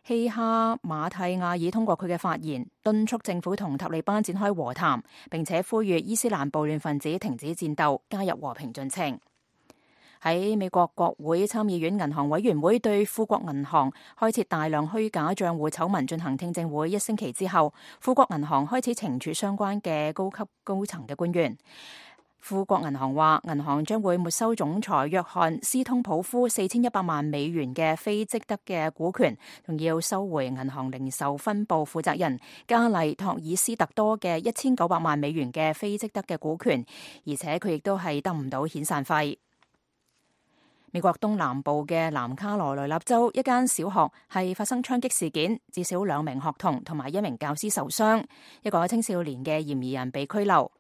希哈馬蒂亞爾通過佢嘅發言，敦促政府同塔利班展開和談，並且呼籲伊斯蘭暴亂分子停止戰鬥，加入和平進程。喺美國國會參議院銀行委員會對富國銀行開設大量虛假賬戶醜聞進行聽證會1星期之後，富國銀行開始懲處相關嘅高層嘅官員。富國銀行話，銀行將會沒收總裁約翰斯通普夫4100萬美元嘅非積德嘅股權，仲要收回銀行零售分部負責人加麗托爾斯特多嘅1900萬美元嘅非積德嘅股權，而且佢亦都係得唔到遣散費。美國東南部嘅南卡羅來納州一間小學係發生槍擊事件，至少2名學童同埋1名教師受傷，一個青少年嘅嫌疑人被拘留。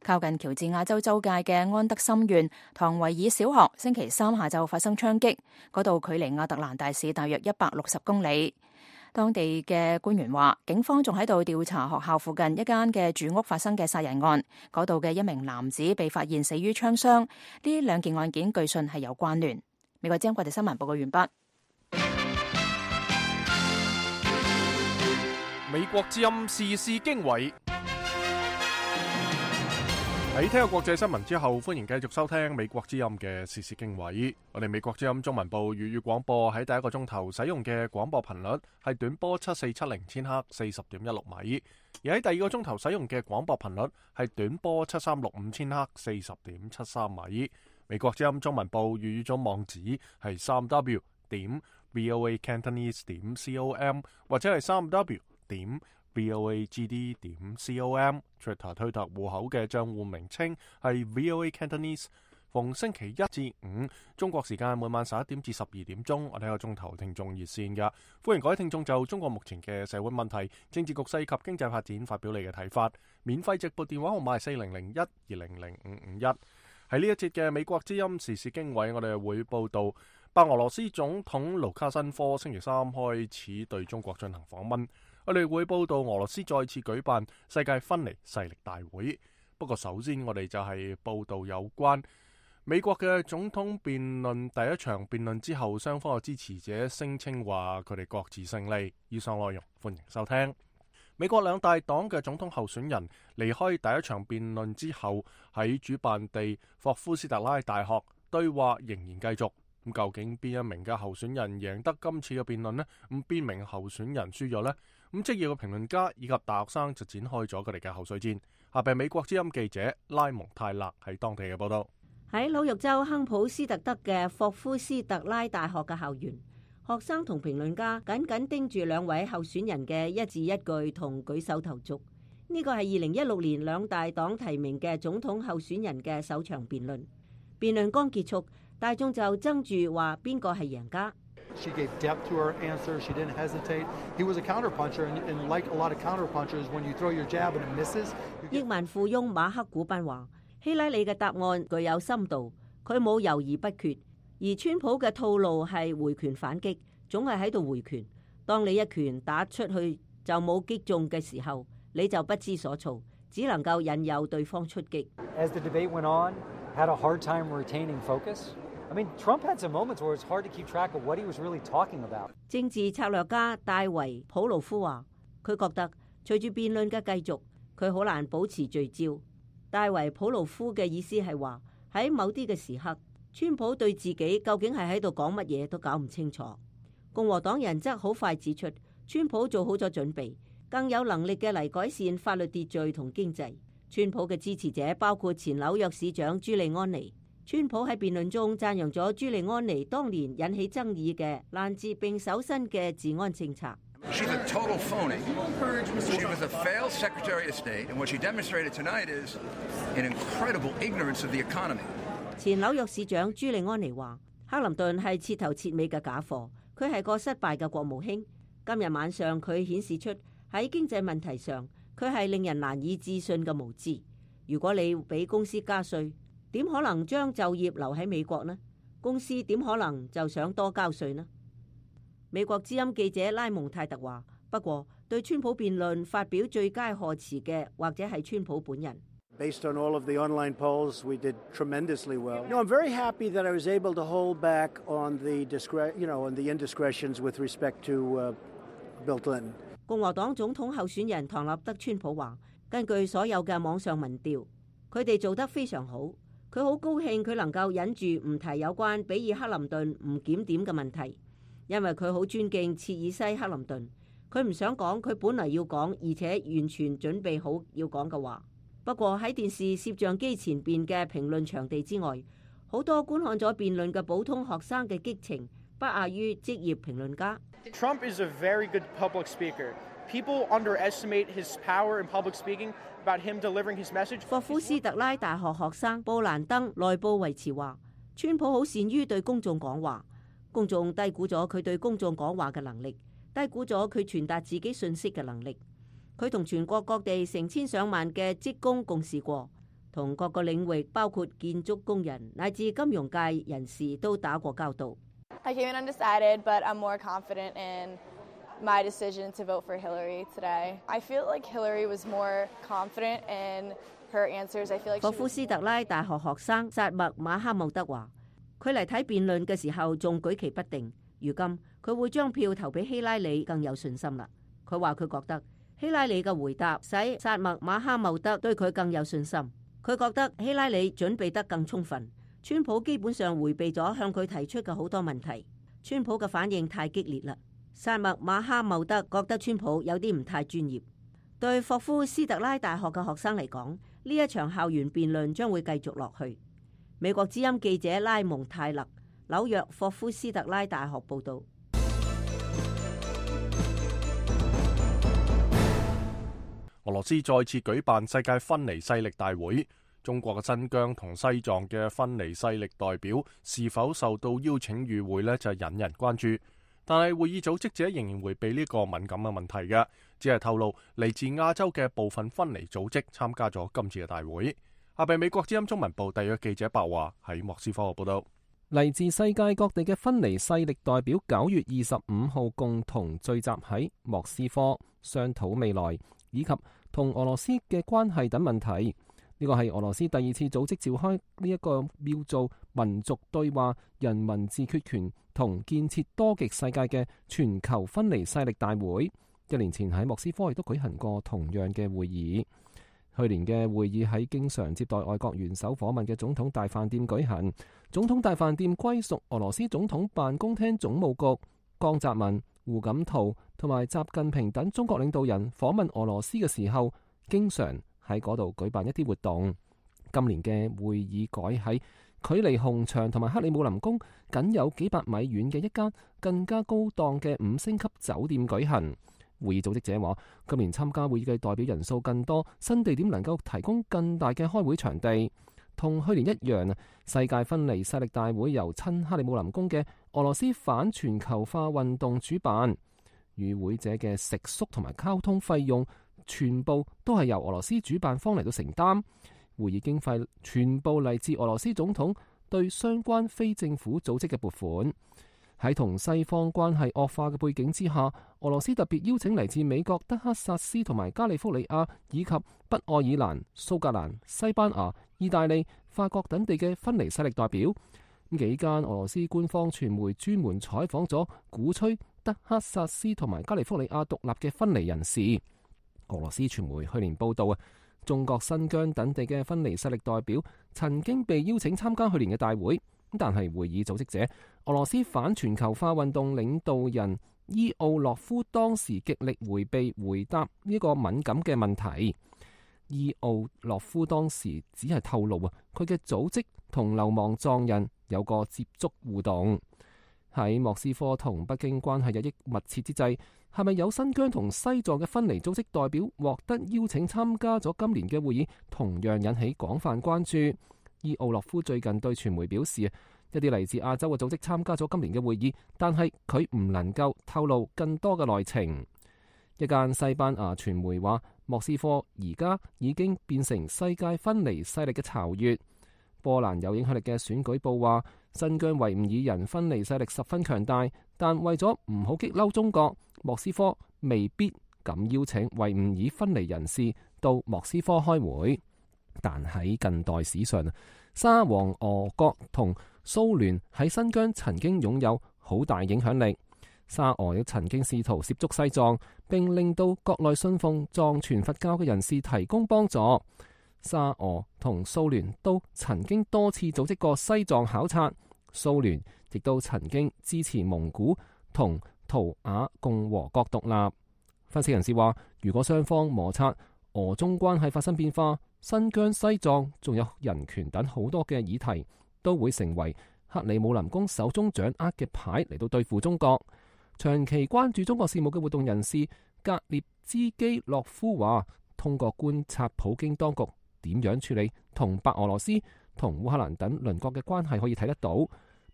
靠近喬治亞州州界嘅安德森縣唐維爾小學星期三下晝發生槍擊，嗰度距離亞特蘭大市大約160公里。當地嘅官員話，警方仲喺度調查學校附近一間嘅住屋發生嘅殺人案，嗰度嘅1名男子被發現死於槍傷。呢2件案件據信係有關聯。美國之音國際新聞報告完畢。美國之音時事經緯。喺聽過國際新聞之後，歡迎繼續收聽美國之音嘅時事經緯。我哋美國之音中文部粵語廣播喺第一個鐘頭使用嘅廣播頻率係短波7470千赫40.16米，而喺第二個鐘頭使用嘅廣播頻率係短波7365千赫40.73米。美國之音中文部粵語組網址係3w.voacantonese.com 或者係3w.voagd.com。 Twitter 推特戶口嘅賬戶名稱係 VOA Cantonese。 逢星期一至五中國時間每晚11點至12點鐘，我哋有個鐘頭聽眾熱線㗎，歡迎各位聽眾就中國目前嘅社會問題、政治局勢及經濟發展發表你嘅睇法。免費直撥電話號碼係4001200551。喺呢一節嘅美國之音時事經緯，我哋會報道白俄羅斯總統盧卡申科星期三開始對中國進行訪問。我哋會報道俄羅斯再次舉辦世界分離勢力大會。不過首先我哋就係報道有關美國嘅總統辯論第一場辯論之後，雙方嘅支持者聲稱話佢哋各自勝利。以上內容歡迎收聽。美國兩大黨嘅總統候選人離開第一場辯論之後，喺主辦地霍夫斯特拉大學對話仍然繼續。咁究竟邊一名嘅候選人贏得今次嘅辯論呢？咁邊名候選人輸咗呢？咁職業嘅評論家以及大學生就展開咗佢哋嘅口水戰。下邊美國之音記者拉蒙泰勒喺當地嘅報道。喺紐約州亨普斯特德嘅霍夫斯特拉大學嘅校園，學生同評論家緊緊盯住兩位候選人嘅一字一句同舉手投足。呢個係2016年兩大黨提名嘅總統候選人嘅首場辯論。辯論剛結束，大眾就爭住話邊個係贏家。She gave depth to her answer. She didn't hesitate. He was a counterpuncher, and like a lot of counterpunchers, when you throw your jab and it misses. 億萬富翁馬克古賓話：希拉里嘅答案具有深度，佢冇猶豫不決；而川普嘅套路係回拳反擊，總係喺度回拳。當你一拳打出去就冇擊中嘅時候，你就不知所措，只能夠引誘對方出擊。As the debate went on, had a hard time retaining focus. I mean, Trump had some moments where it's hard to keep track of what he was really talking about. 政治策略家戴維普魯夫話：佢覺得隨住辯論嘅繼續，佢好難保持聚焦。戴維普魯夫嘅意思係話喺某啲嘅時刻，川普對自己究竟係喺度講乜嘢都搞唔清楚。共和黨人則好快指出，川普做好咗準備，更有能力嘅嚟改善法律秩序同經濟。川普嘅支持者包括前紐約市長朱利安尼。川普喺辯論中讚揚咗朱利安尼當年引起爭議嘅攔截並搜身嘅治安政策。She's a total phony. She was a failed Secretary of State, and what she demonstrated tonight is an incredible ignorance of the economy. 前紐約市長朱利安尼話：克林頓係徹頭徹尾嘅假貨，佢係個失敗嘅國務卿。今日晚上佢顯示出喺經濟問題上，佢係令人難以置信嘅無知。如果你俾公司加稅，點可能將就業留喺美國呢？公司點可能就想多交稅呢？美國之音記者拉蒙泰特話：不過對川普辯論發表最佳賀詞嘅，或者係川普本人。Based on all of the online polls, we did tremendously well. I'm very happy that I was able to hold back on the indiscretions with respect to Bill Clinton. 共和黨總統候選人唐納德川普話：根據所有嘅網上民調，佢哋做得非常好。佢好高興佢能夠忍住唔提有關比爾克林頓唔檢點嘅問題，因為佢好尊敬切爾西克林頓。佢唔想講佢本嚟要講，而且完全準備好要講嘅話。不過喺電視攝像機前邊嘅評論場地之外，好多觀看咗辯論嘅普通學生嘅激情不亞於職業評論家。Trump is a very good public speaker. People underestimate his power in public speaking about him delivering his message. 霍夫斯特拉大學學生布蘭登內布維茨話：川普好善於對公眾講話，公眾低估咗佢對公眾講話嘅能力，低估咗佢傳達自己信息嘅能力。佢同全國各地成千上萬嘅職工共事過，同各個領域包括建築工人乃至金融界人士都打過交道。I came in undecided, but I'm more confident in my decision to vote for Hillary today. I feel like Hillary was more confident in her answers. I feel like 霍夫斯特拉大學學生薩默馬哈姆德話，佢嚟睇辯論嘅時候仲舉棋不定，如今佢會將票投俾希拉里更有信心啦。佢話佢覺得希拉里嘅回答使薩默馬哈姆德對佢更有信心。佢覺得希拉里準備得更充分，川普基本上迴避咗向佢提出嘅好多問題。川普嘅反應太激烈啦。薩默馬哈姆德覺得川普有啲唔太專業。對霍夫斯特拉大學嘅學生嚟講，呢一場校園辯論將會繼續落去。美國之音記者拉蒙泰勒，紐約霍夫斯特拉大學報導。俄羅斯再次舉辦世界分離勢力大會，中國嘅新疆同西藏嘅分離勢力代表是否受到邀請與會呢，就引人關注。但係會議組織者仍然迴避呢個敏感嘅問題嘅，只係透露嚟自亞洲嘅部分分離組織參加咗今次嘅大會。下邊美國之音中文部特約記者白華喺莫斯科報道。嚟自世界各地嘅分離勢力代表9月25號共同聚集喺莫斯科，商討未來以及同俄羅斯嘅關係等問題。呢個係俄羅斯第2次組織召開呢一個叫做民族對話、人民自決權同建設多極世界嘅全球分離勢力大會。1年前喺莫斯科亦都舉行過同樣嘅會議。去年嘅會議喺經常接待外國元首訪問嘅總統大飯店舉行。總統大飯店歸屬俄羅斯總統辦公廳總務局。江澤民、胡錦濤同埋習近平等中國領導人訪問俄羅斯嘅時候，經常喺嗰度舉辦一啲活動。今年嘅會議改喺距離紅場同埋克里姆林宮僅有幾百米遠嘅一間更加高檔嘅5星級酒店舉行。會議組織者話，今年參加會議嘅代表人數更多，新地點能夠提供更大嘅開會場地。同去年一樣，世界分離勢力大會由親克里姆林宮嘅俄羅斯反全球化運動主辦，與會者嘅食宿同埋交通費用全部都係由俄羅斯主辦方嚟到承擔。會議經費全部嚟自俄羅斯總統對相關非政府組織嘅撥款。喺同西方關係惡化嘅背景之下，俄羅斯特別邀請嚟自美國、德克薩斯同埋加利福尼亞以及北愛爾蘭、蘇格蘭、西班牙、意大利、法國等地嘅分離勢力代表。幾間俄羅斯官方傳媒專門採訪咗鼓吹德克薩斯同埋加利福尼亞獨立嘅分離人士。俄羅斯傳媒去年報道中國新疆等地嘅分離勢力代表曾經被邀請參加去年嘅大會。但係會議組織者俄羅斯反全球化運動領導人伊奧洛夫當時極力迴避回答呢個敏感嘅問題。伊奧洛夫當時只係透露佢嘅組織同流亡藏人有個接觸互動。喺莫斯科同北京關係日益密切之際，係咪有新疆同西藏嘅分離組織代表獲得邀請參加咗今年嘅會議，同樣引起廣泛關注。伊奧洛夫最近對傳媒表示，一啲嚟自亞洲嘅組織參加咗今年嘅會議，但係佢唔能夠透露更多嘅內情。一間西班牙傳媒話，莫斯科而家已經變成世界分離勢力嘅巢穴。波蘭有影響力嘅選舉報話，新疆維吾爾人分離勢力十分強大，但為咗唔好激嬲中國，莫斯科未必敢邀請維吾爾分離人士到莫斯科開會。但喺近代史上，沙皇俄國同蘇聯喺新疆曾經擁有好大影響力。沙俄亦曾經試圖涉足西藏，並令到國內信奉藏傳佛教嘅人士提供幫助。沙俄同蘇聯都曾經多次組織過西藏考察，蘇聯亦都曾經支持蒙古同圖瓦共和國獨立。分析人士話，如果雙方摩擦，俄中關係發生變化，新疆、西藏仲有人權等好多嘅議題，都會成為克里姆林宮手中掌握嘅牌嚟到對付中國。長期關注中國事務嘅活動人士格列茲基洛夫話，通過觀察普京當局點樣處理同白俄羅斯同烏克蘭等鄰國嘅關係可以睇得到。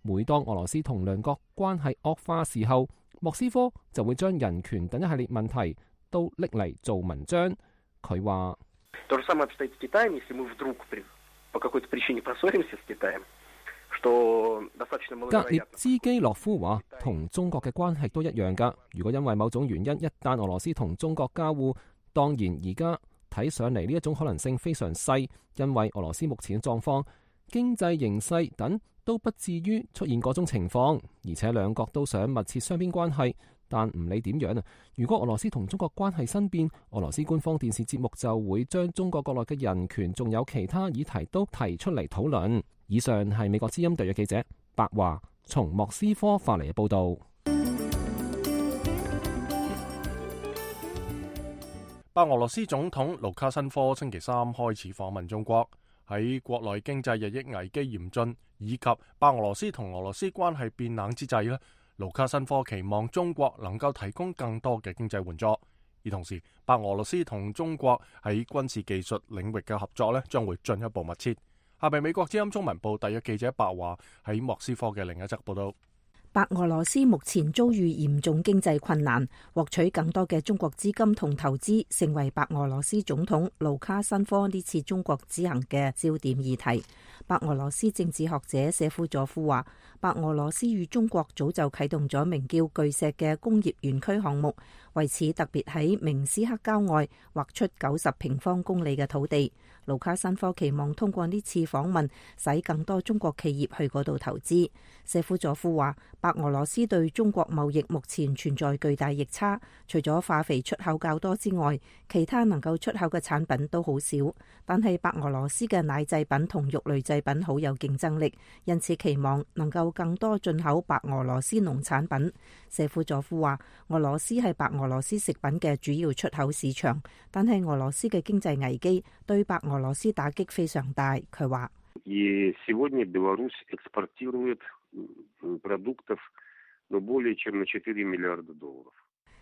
每當俄羅斯同鄰國關係惡化時候，莫斯科就會將人權等一系列問題都拎嚟做文章。佢話：格列茲基洛夫話，同中國嘅關係都一樣㗎。如果因為某種原因，一旦俄羅斯同中國交惡，當然而家睇上嚟呢一種可能性非常細，因為俄羅斯目前嘅狀況、經濟形勢等都不至於出現嗰種情況，而且兩國都想密切雙邊關係。但唔理點樣啊，如果俄羅斯同中國關係新變，俄羅斯官方電視節目就會將中國國內嘅人權仲有其他議題都提出嚟討論。以上係美國之音特約記者白華從莫斯科發嚟嘅報導。白俄羅斯總統盧卡申科星期三開始訪問中國。喺國內經濟日益危機嚴峻以及白俄羅斯同俄羅斯關係變冷之際咧，盧卡申科期望中國能夠提供更多嘅經濟援助，而同時白俄羅斯同中國喺軍事技術領域嘅合作咧將會進一步密切。下邊美國之音中文部特約記者白華喺莫斯科嘅另一則報道。白俄羅斯目前遭遇嚴重經濟困難，獲取更多嘅中國資金同投資成為白俄羅斯總統盧卡申科呢次中國之行嘅焦點議題。白俄羅斯政治學者謝夫佐夫話，白俄羅斯與中國早就啟動咗名叫巨石嘅工業園區項目，為此特別喺明斯克郊外劃出90平方公里嘅土地。盧卡申科期望通過呢次訪問，使更多中國企業去嗰度投資。謝夫佐夫話，白俄羅斯對中國貿易目前存在巨大逆差，除咗化肥出口較多之外，其他能夠出口嘅產品都好少。但係白俄羅斯嘅奶製品同肉類製品好有競爭力，因此期望能夠更多進口白俄羅斯農產品。謝夫佐夫話，俄羅斯係白俄羅斯食品嘅主要出口市場，但係俄羅斯嘅經濟危機對白俄羅斯打擊非常大。佢話：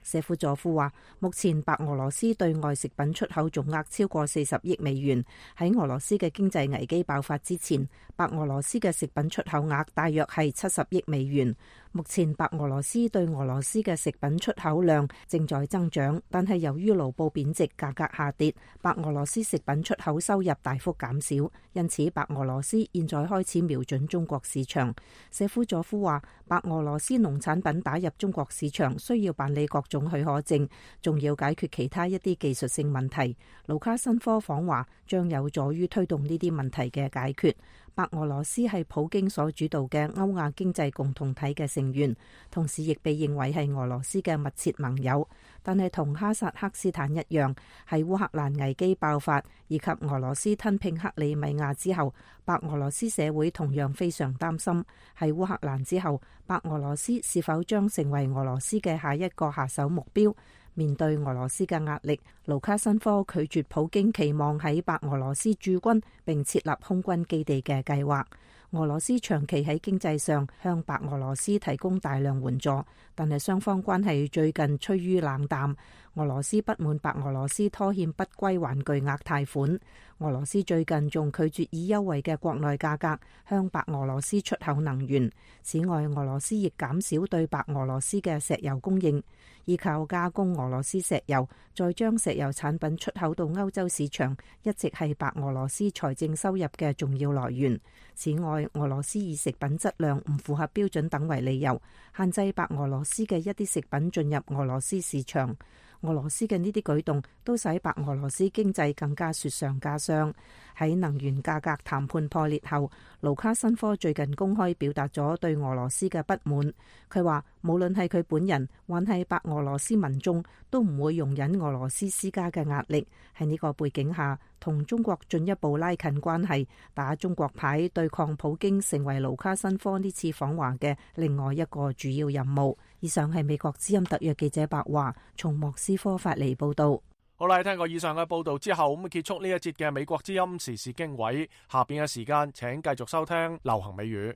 謝夫佐夫話，目前白俄羅斯對外食品出口總額超過40億美元。喺俄羅斯嘅經濟危機爆發之前，白俄羅斯嘅食品出口額大約係70億美元。目前白俄羅斯對俄羅斯嘅食品出口量正在增長，但係由於盧布貶值，價格下跌，白俄羅斯食品出口收入大幅減少。因此白俄羅斯現在開始瞄準中國市場。謝夫佐夫話，白俄羅斯農產品打入中國市場需要辦理各種許可證，仲要解決其他一啲技術性問題。盧卡申科訪華將有助於推動呢啲問題嘅解決。白俄羅斯係普京所主導嘅歐亞經濟共同體嘅成員，同時亦被認為係俄羅斯嘅密切盟友。但係同哈薩克斯坦一樣，喺烏克蘭危機爆發以及俄羅斯吞併克里米亞之後，白俄羅斯社會同樣非常擔心，喺烏克蘭之後，白俄羅斯是否將成為俄羅斯嘅下一個下手目標？面對俄羅斯嘅壓力，盧卡申科拒絕普京期望喺白俄羅斯駐軍並設立空軍基地嘅計劃。俄羅斯長期喺經濟上向白俄羅斯提供大量援助，但係雙方關係最近趨於冷淡。俄羅斯不滿白俄羅斯拖欠不歸還巨額貸款。俄羅斯最近仲拒絕以優惠嘅國內價格向白俄羅斯出口能源。此外，俄羅斯亦減少對白俄羅斯嘅石油供應，依靠加工俄羅斯石油，再將石油產品出口到歐洲市場，一直係白俄羅斯財政收入嘅重要來源。此外，俄羅斯以食品質量唔符合標準等為理由，限制白俄羅斯嘅一啲食品進入俄羅斯市場。俄羅斯嘅呢啲舉動都使白俄羅斯經濟更加雪上加霜。喺能源價格談判破裂後，盧卡申科最近公開表達咗對俄羅斯嘅不滿。佢話無論係佢本人還係白俄羅斯民眾，都唔會容忍俄羅斯施加嘅壓力。喺呢個背景下，同中國進一步拉近關係，打中國牌對抗普京，成為盧卡申科呢次訪華嘅另外一個主要任務。以上係美國之音特約記者白華從莫斯科發嚟報道。好啦，聽過以上嘅報道之後，咁結束呢一節嘅美國之音時事經緯。下邊嘅時間，請繼續收聽流行美語。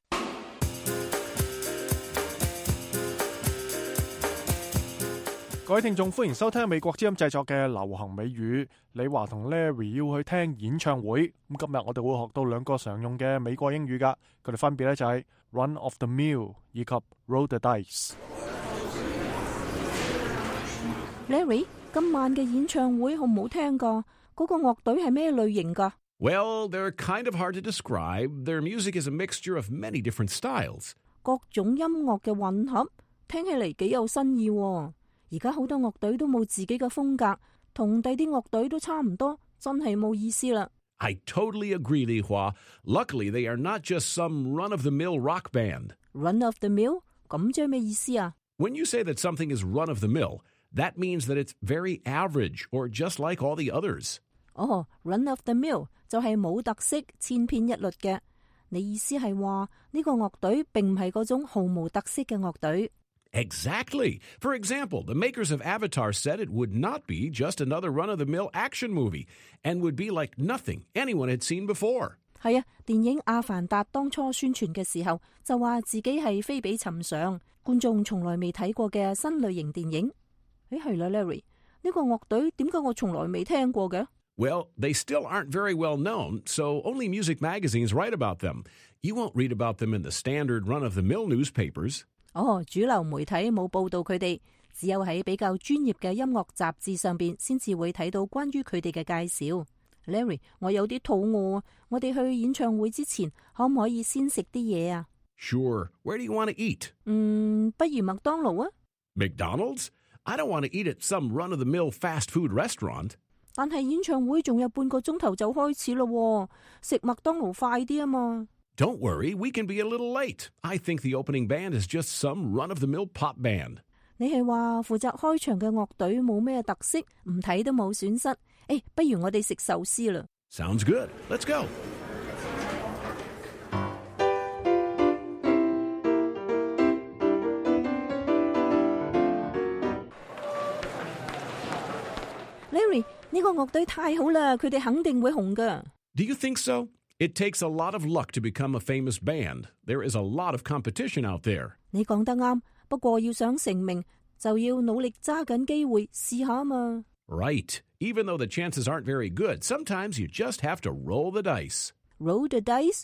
各位聽眾，歡迎收聽美國之音製作嘅流行美語。李華同 Larry 要去聽演唱會，咁今日我哋會學到兩個常用嘅美國英語噶，佢哋分別咧就係 run of the mill 以及 roll the dice。 Larry， 今晚嘅演唱會好唔好聽噶？嗰個樂隊係咩類型噶？ Well, they're kind of hard to describe. Their music is a mixture of many different styles. 各種音樂嘅混合，聽起嚟幾有新意喎。而家好多樂隊都冇自己嘅風格，同第啲樂隊都差唔多，真係冇意思啦。I totally agree, Li Hua. Luckily, they are not just some run-of-the-mill rock band. Run of the mill？ 咁即係咩意思啊？ When you say that something is run-of-the-mill, that means that it's very average or just like all the others. Run of the mill 就係冇特色、千篇一律嘅。你意思係話呢個樂隊並唔係嗰種毫無特色嘅樂隊？ Exactly. For example, the makers of Avatar said it would not be just another run-of-the-mill action movie and would be like nothing anyone had seen before. 係啊，電影《阿凡達》當初宣傳嘅時候就話自己係非比尋常，觀眾從來未睇過嘅新類型電影。係啦 ，Larry， 呢個樂隊點解我從來未聽過嘅？ Well, they still aren't very well known, so only music magazines write about them. You won't read about them in the standard run-of-the-mill newspapers. 主流媒體冇報道佢哋，只有喺比較專業嘅音樂雜誌上邊先至會睇到關於佢哋嘅介紹。Larry， 我有啲肚餓，我哋去演唱會之前可唔可以先食啲嘢啊？ Sure. Where do you want to eat? 不如麥當勞啊。 McDonald's? I don't want to eat at some run-of-the-mill fast food restaurant. 但係演唱會仲有半個鐘頭就開始咯，食麥當勞快啲啊嘛。Don't worry, we can be a little late. I think the opening band is just some run-of-the-mill pop band. 你係話負責開場嘅樂隊冇咩特色，唔睇都冇損失。不如我哋食壽司啦。Sounds good. Let's go. Larry， 呢個樂隊太好啦，佢哋肯定會紅噶。Do you think so? It takes a lot of luck to become a famous band. There is a lot of competition out there. 你講得啱，不過要想成名，就要努力揸緊機會試下嘛。Right. Even though the chances aren't very good, sometimes you just have to roll the dice. Roll the dice？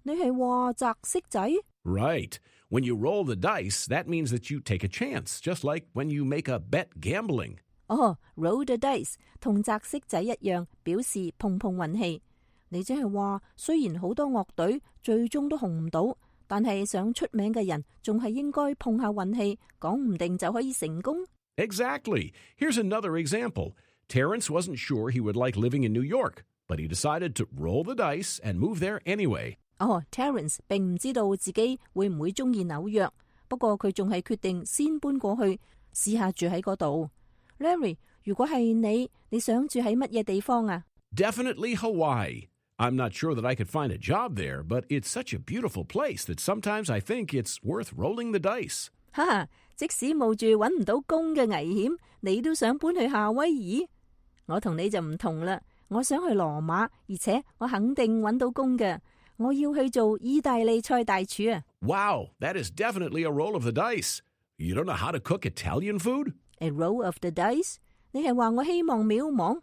你係話擲骰仔？ Right. When you roll the dice, that means that you take a chance, just like when you make a bet gambling. Roll the dice 同擲骰仔一樣，表示碰碰運氣。你即係話，雖然好多樂隊最終都紅唔到，但係想出名嘅人仲係應該碰下運氣，講唔定就可以成功。Exactly. Here's another example. Terrence wasn't sure he would like living in New York, but he decided to roll the dice and move there anyway. Terrence 並唔知道自己會唔會中意紐約，不過佢仲係決定先搬過去，試下住喺嗰度。Larry， 如果係你想住喺乜嘢地方啊？ Definitely Hawaii. I'm not sure that I could find a job there, but it's such a beautiful place that sometimes I think it's worth rolling the dice. 即使冒住揾唔到工嘅危險，你都想搬去夏威夷？我同你就唔同啦，我想去羅馬，而且我肯定揾到工嘅。我要去做意大利菜大廚啊！ Wow, that is definitely a roll of the dice. You don't know how to cook Italian food? A roll of the dice？ 你係話我希望渺茫？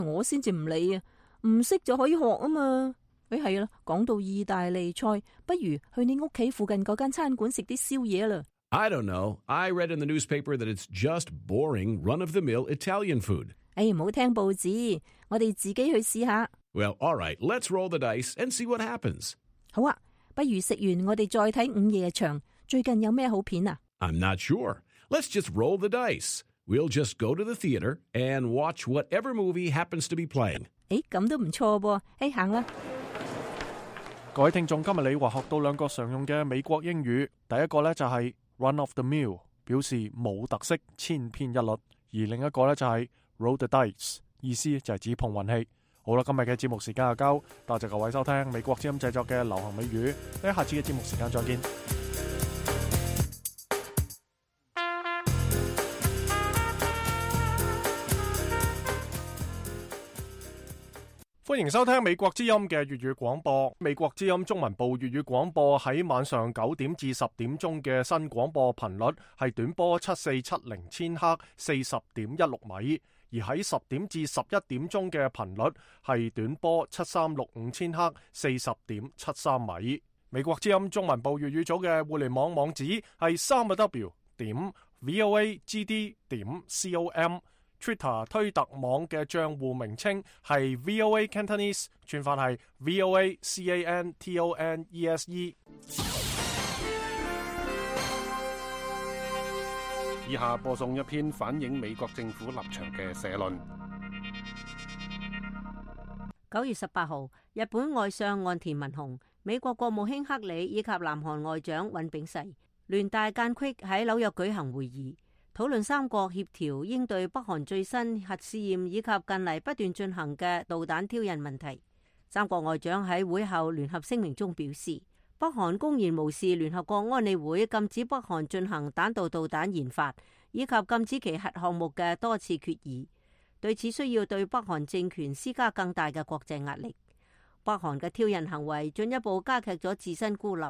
我先至唔理啊！唔識就可以學啊嘛。係啦，講到意大利菜，不如去你屋企附近嗰間餐館食啲宵夜啦。I don't know. I read in the newspaper that it's just boring run-of-the-mill Italian food. 唔好聽報紙，我哋自己去試下。Well, all right, let's roll the dice and see what happens. 好啊，不如食完我哋再睇午夜場。最近有咩好片啊？ I'm not sure. Let's just roll the dice. We'll just go to the theater and watch whatever movie happens to be playing. 咁都唔錯噃。行啦。各位聽眾，今日你話學到兩個常用嘅美國英語，第一個呢就係 run of the mill， 表示冇特色、千篇一律；而另一個呢就係 roll the dice， 意思就係指碰運氣。好啦，今日嘅節目時間就夠，多謝各位收聽美國之音製作嘅流行美語，喺下次嘅節目時間再見。歡迎收聽美國之音嘅粵語廣播。美國之音中文部粵語廣播喺晚上9點至10點鐘嘅新廣播頻率係短波7470千赫40.16米，而喺10點至11點鐘嘅頻率係短波7365千赫40.73米。美國之音中文部粵語組嘅互聯網網址係3w.voagd.com。Twitter 推特網嘅賬戶名稱係 VOA Cantonese， 串法係 VOA CANTONESE。以下播送一篇反映美國政府立場嘅社論。9月18號，日本外相岸田文雄、美國國務卿克里以及南韓外長尹炳世聯大間隙喺紐約舉行會議，討論三國協調應對北韓最新核試驗以及近嚟不斷進行嘅導彈挑釁問題。三國外長喺會後聯合聲明中表示，北韓公然無視聯合國安理會禁止北韓進行彈道導彈研發以及禁止其核項目嘅多次決議，對此需要對北韓政權施加更大嘅國際壓力。北韓嘅挑釁行為進一步加劇咗自身孤立，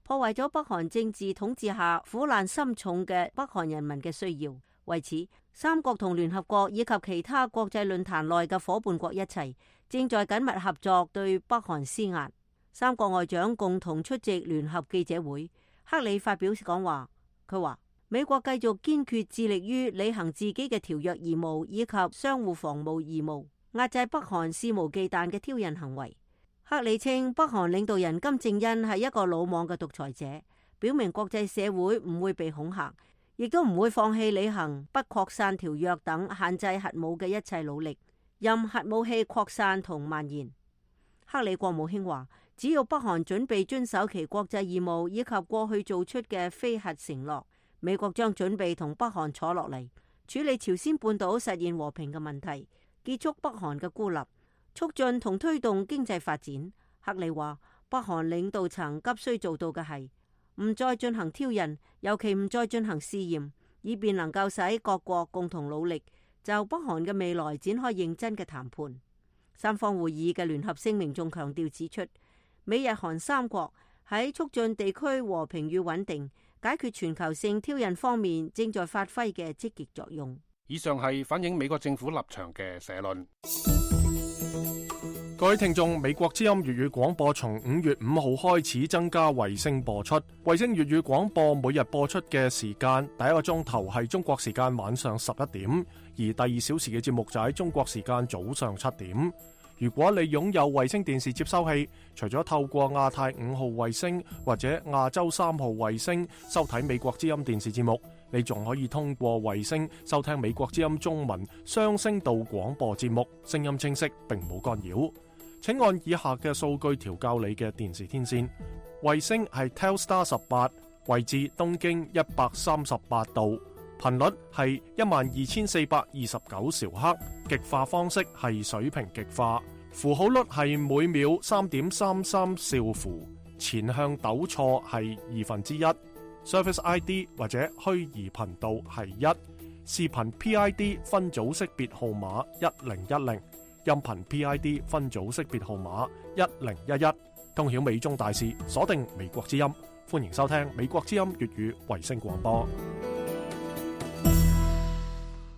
破壞咗北韓政治統治下苦難深重嘅北韓人民嘅需要。為此，三國同聯合國以及其他國際論壇內嘅夥伴國一齊正在緊密合作對北韓施壓。三國外長共同出席聯合記者會，克里發表講話，佢話美國繼續堅決致力於履行自己嘅條約義務以及相互防務義務，壓制北韓肆無忌憚嘅挑釁行為。克里稱北韓領導人金正恩係一個魯莽嘅獨裁者，表明國際社會唔會被恐嚇，亦都唔會放棄履行不擴散條約等限制核武嘅一切努力，任核武器擴散同蔓延。克里國務卿話，只要北韓準備遵守其國際義務以及過去做出嘅非核承諾，美國將準備同北韓坐落嚟，處理朝鮮半島實現和平嘅問題，結束北韓嘅孤立，促進同推動經濟發展。克里話，北韓領導層急需做到嘅係唔再進行挑釁，尤其唔再進行試驗，以便能夠使各國共同努力就北韓嘅未來展開認真嘅談判。三方會議嘅聯合聲明仲強調指出，美日韓三國喺促進地區和平與穩定、解決全球性挑釁方面正在發揮嘅積極作用。以上係反映美國政府立場嘅社論。各位聽眾，美國之音粵語廣播從5月5號開始增加衛星播出。衛星粵語廣播每日播出嘅時間，第一個鐘頭係中國時間晚上11點，而第2小時嘅節目就喺中國時間早上7點。如果你擁有衛星電視接收器，除咗透過亞太5號衛星或者亞洲3號衛星收睇美國之音電視節目，你仲可以通過衛星收聽美國之音中文雙聲道廣播節目，聲音清晰並冇干擾。請按以下嘅數據調校你嘅電視天線。衛星係 Telstar 18，位置東經138度，頻率係12429兆赫，極化方式係水平極化，符號率係每秒3.33兆符，前向抖錯係1/2。Service ID 或者虛擬頻道係1，視頻 PID 分組識別號碼1010，音頻 PID 分組識別號碼1011，通曉美中大事，鎖定美國之音。歡迎收聽美國之音粵語衛星廣播。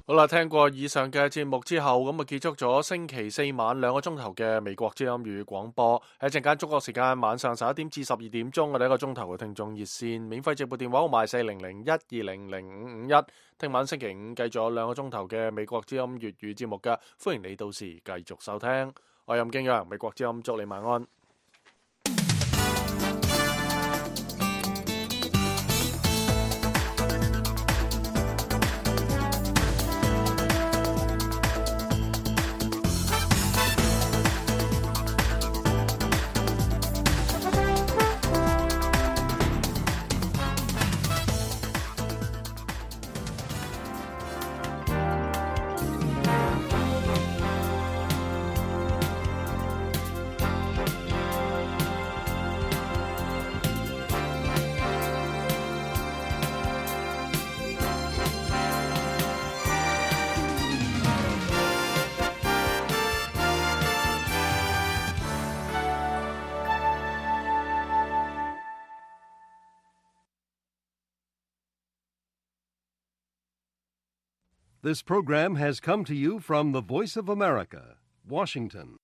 好啦，聽過以上嘅節目之後，咁啊結束咗星期四晚2個鐘頭嘅美國之音粵語廣播。喺陣間中國時間晚上11點至12點鐘，我哋1個鐘頭嘅聽眾熱線免費直撥電話號碼40012005551。聽晚星期五繼續有2個鐘頭嘅美國之音粵語節目嘅，歡迎你到時繼續收聽。我係任敬陽，美國之音祝你晚安。This program has come to you from the Voice of America, Washington.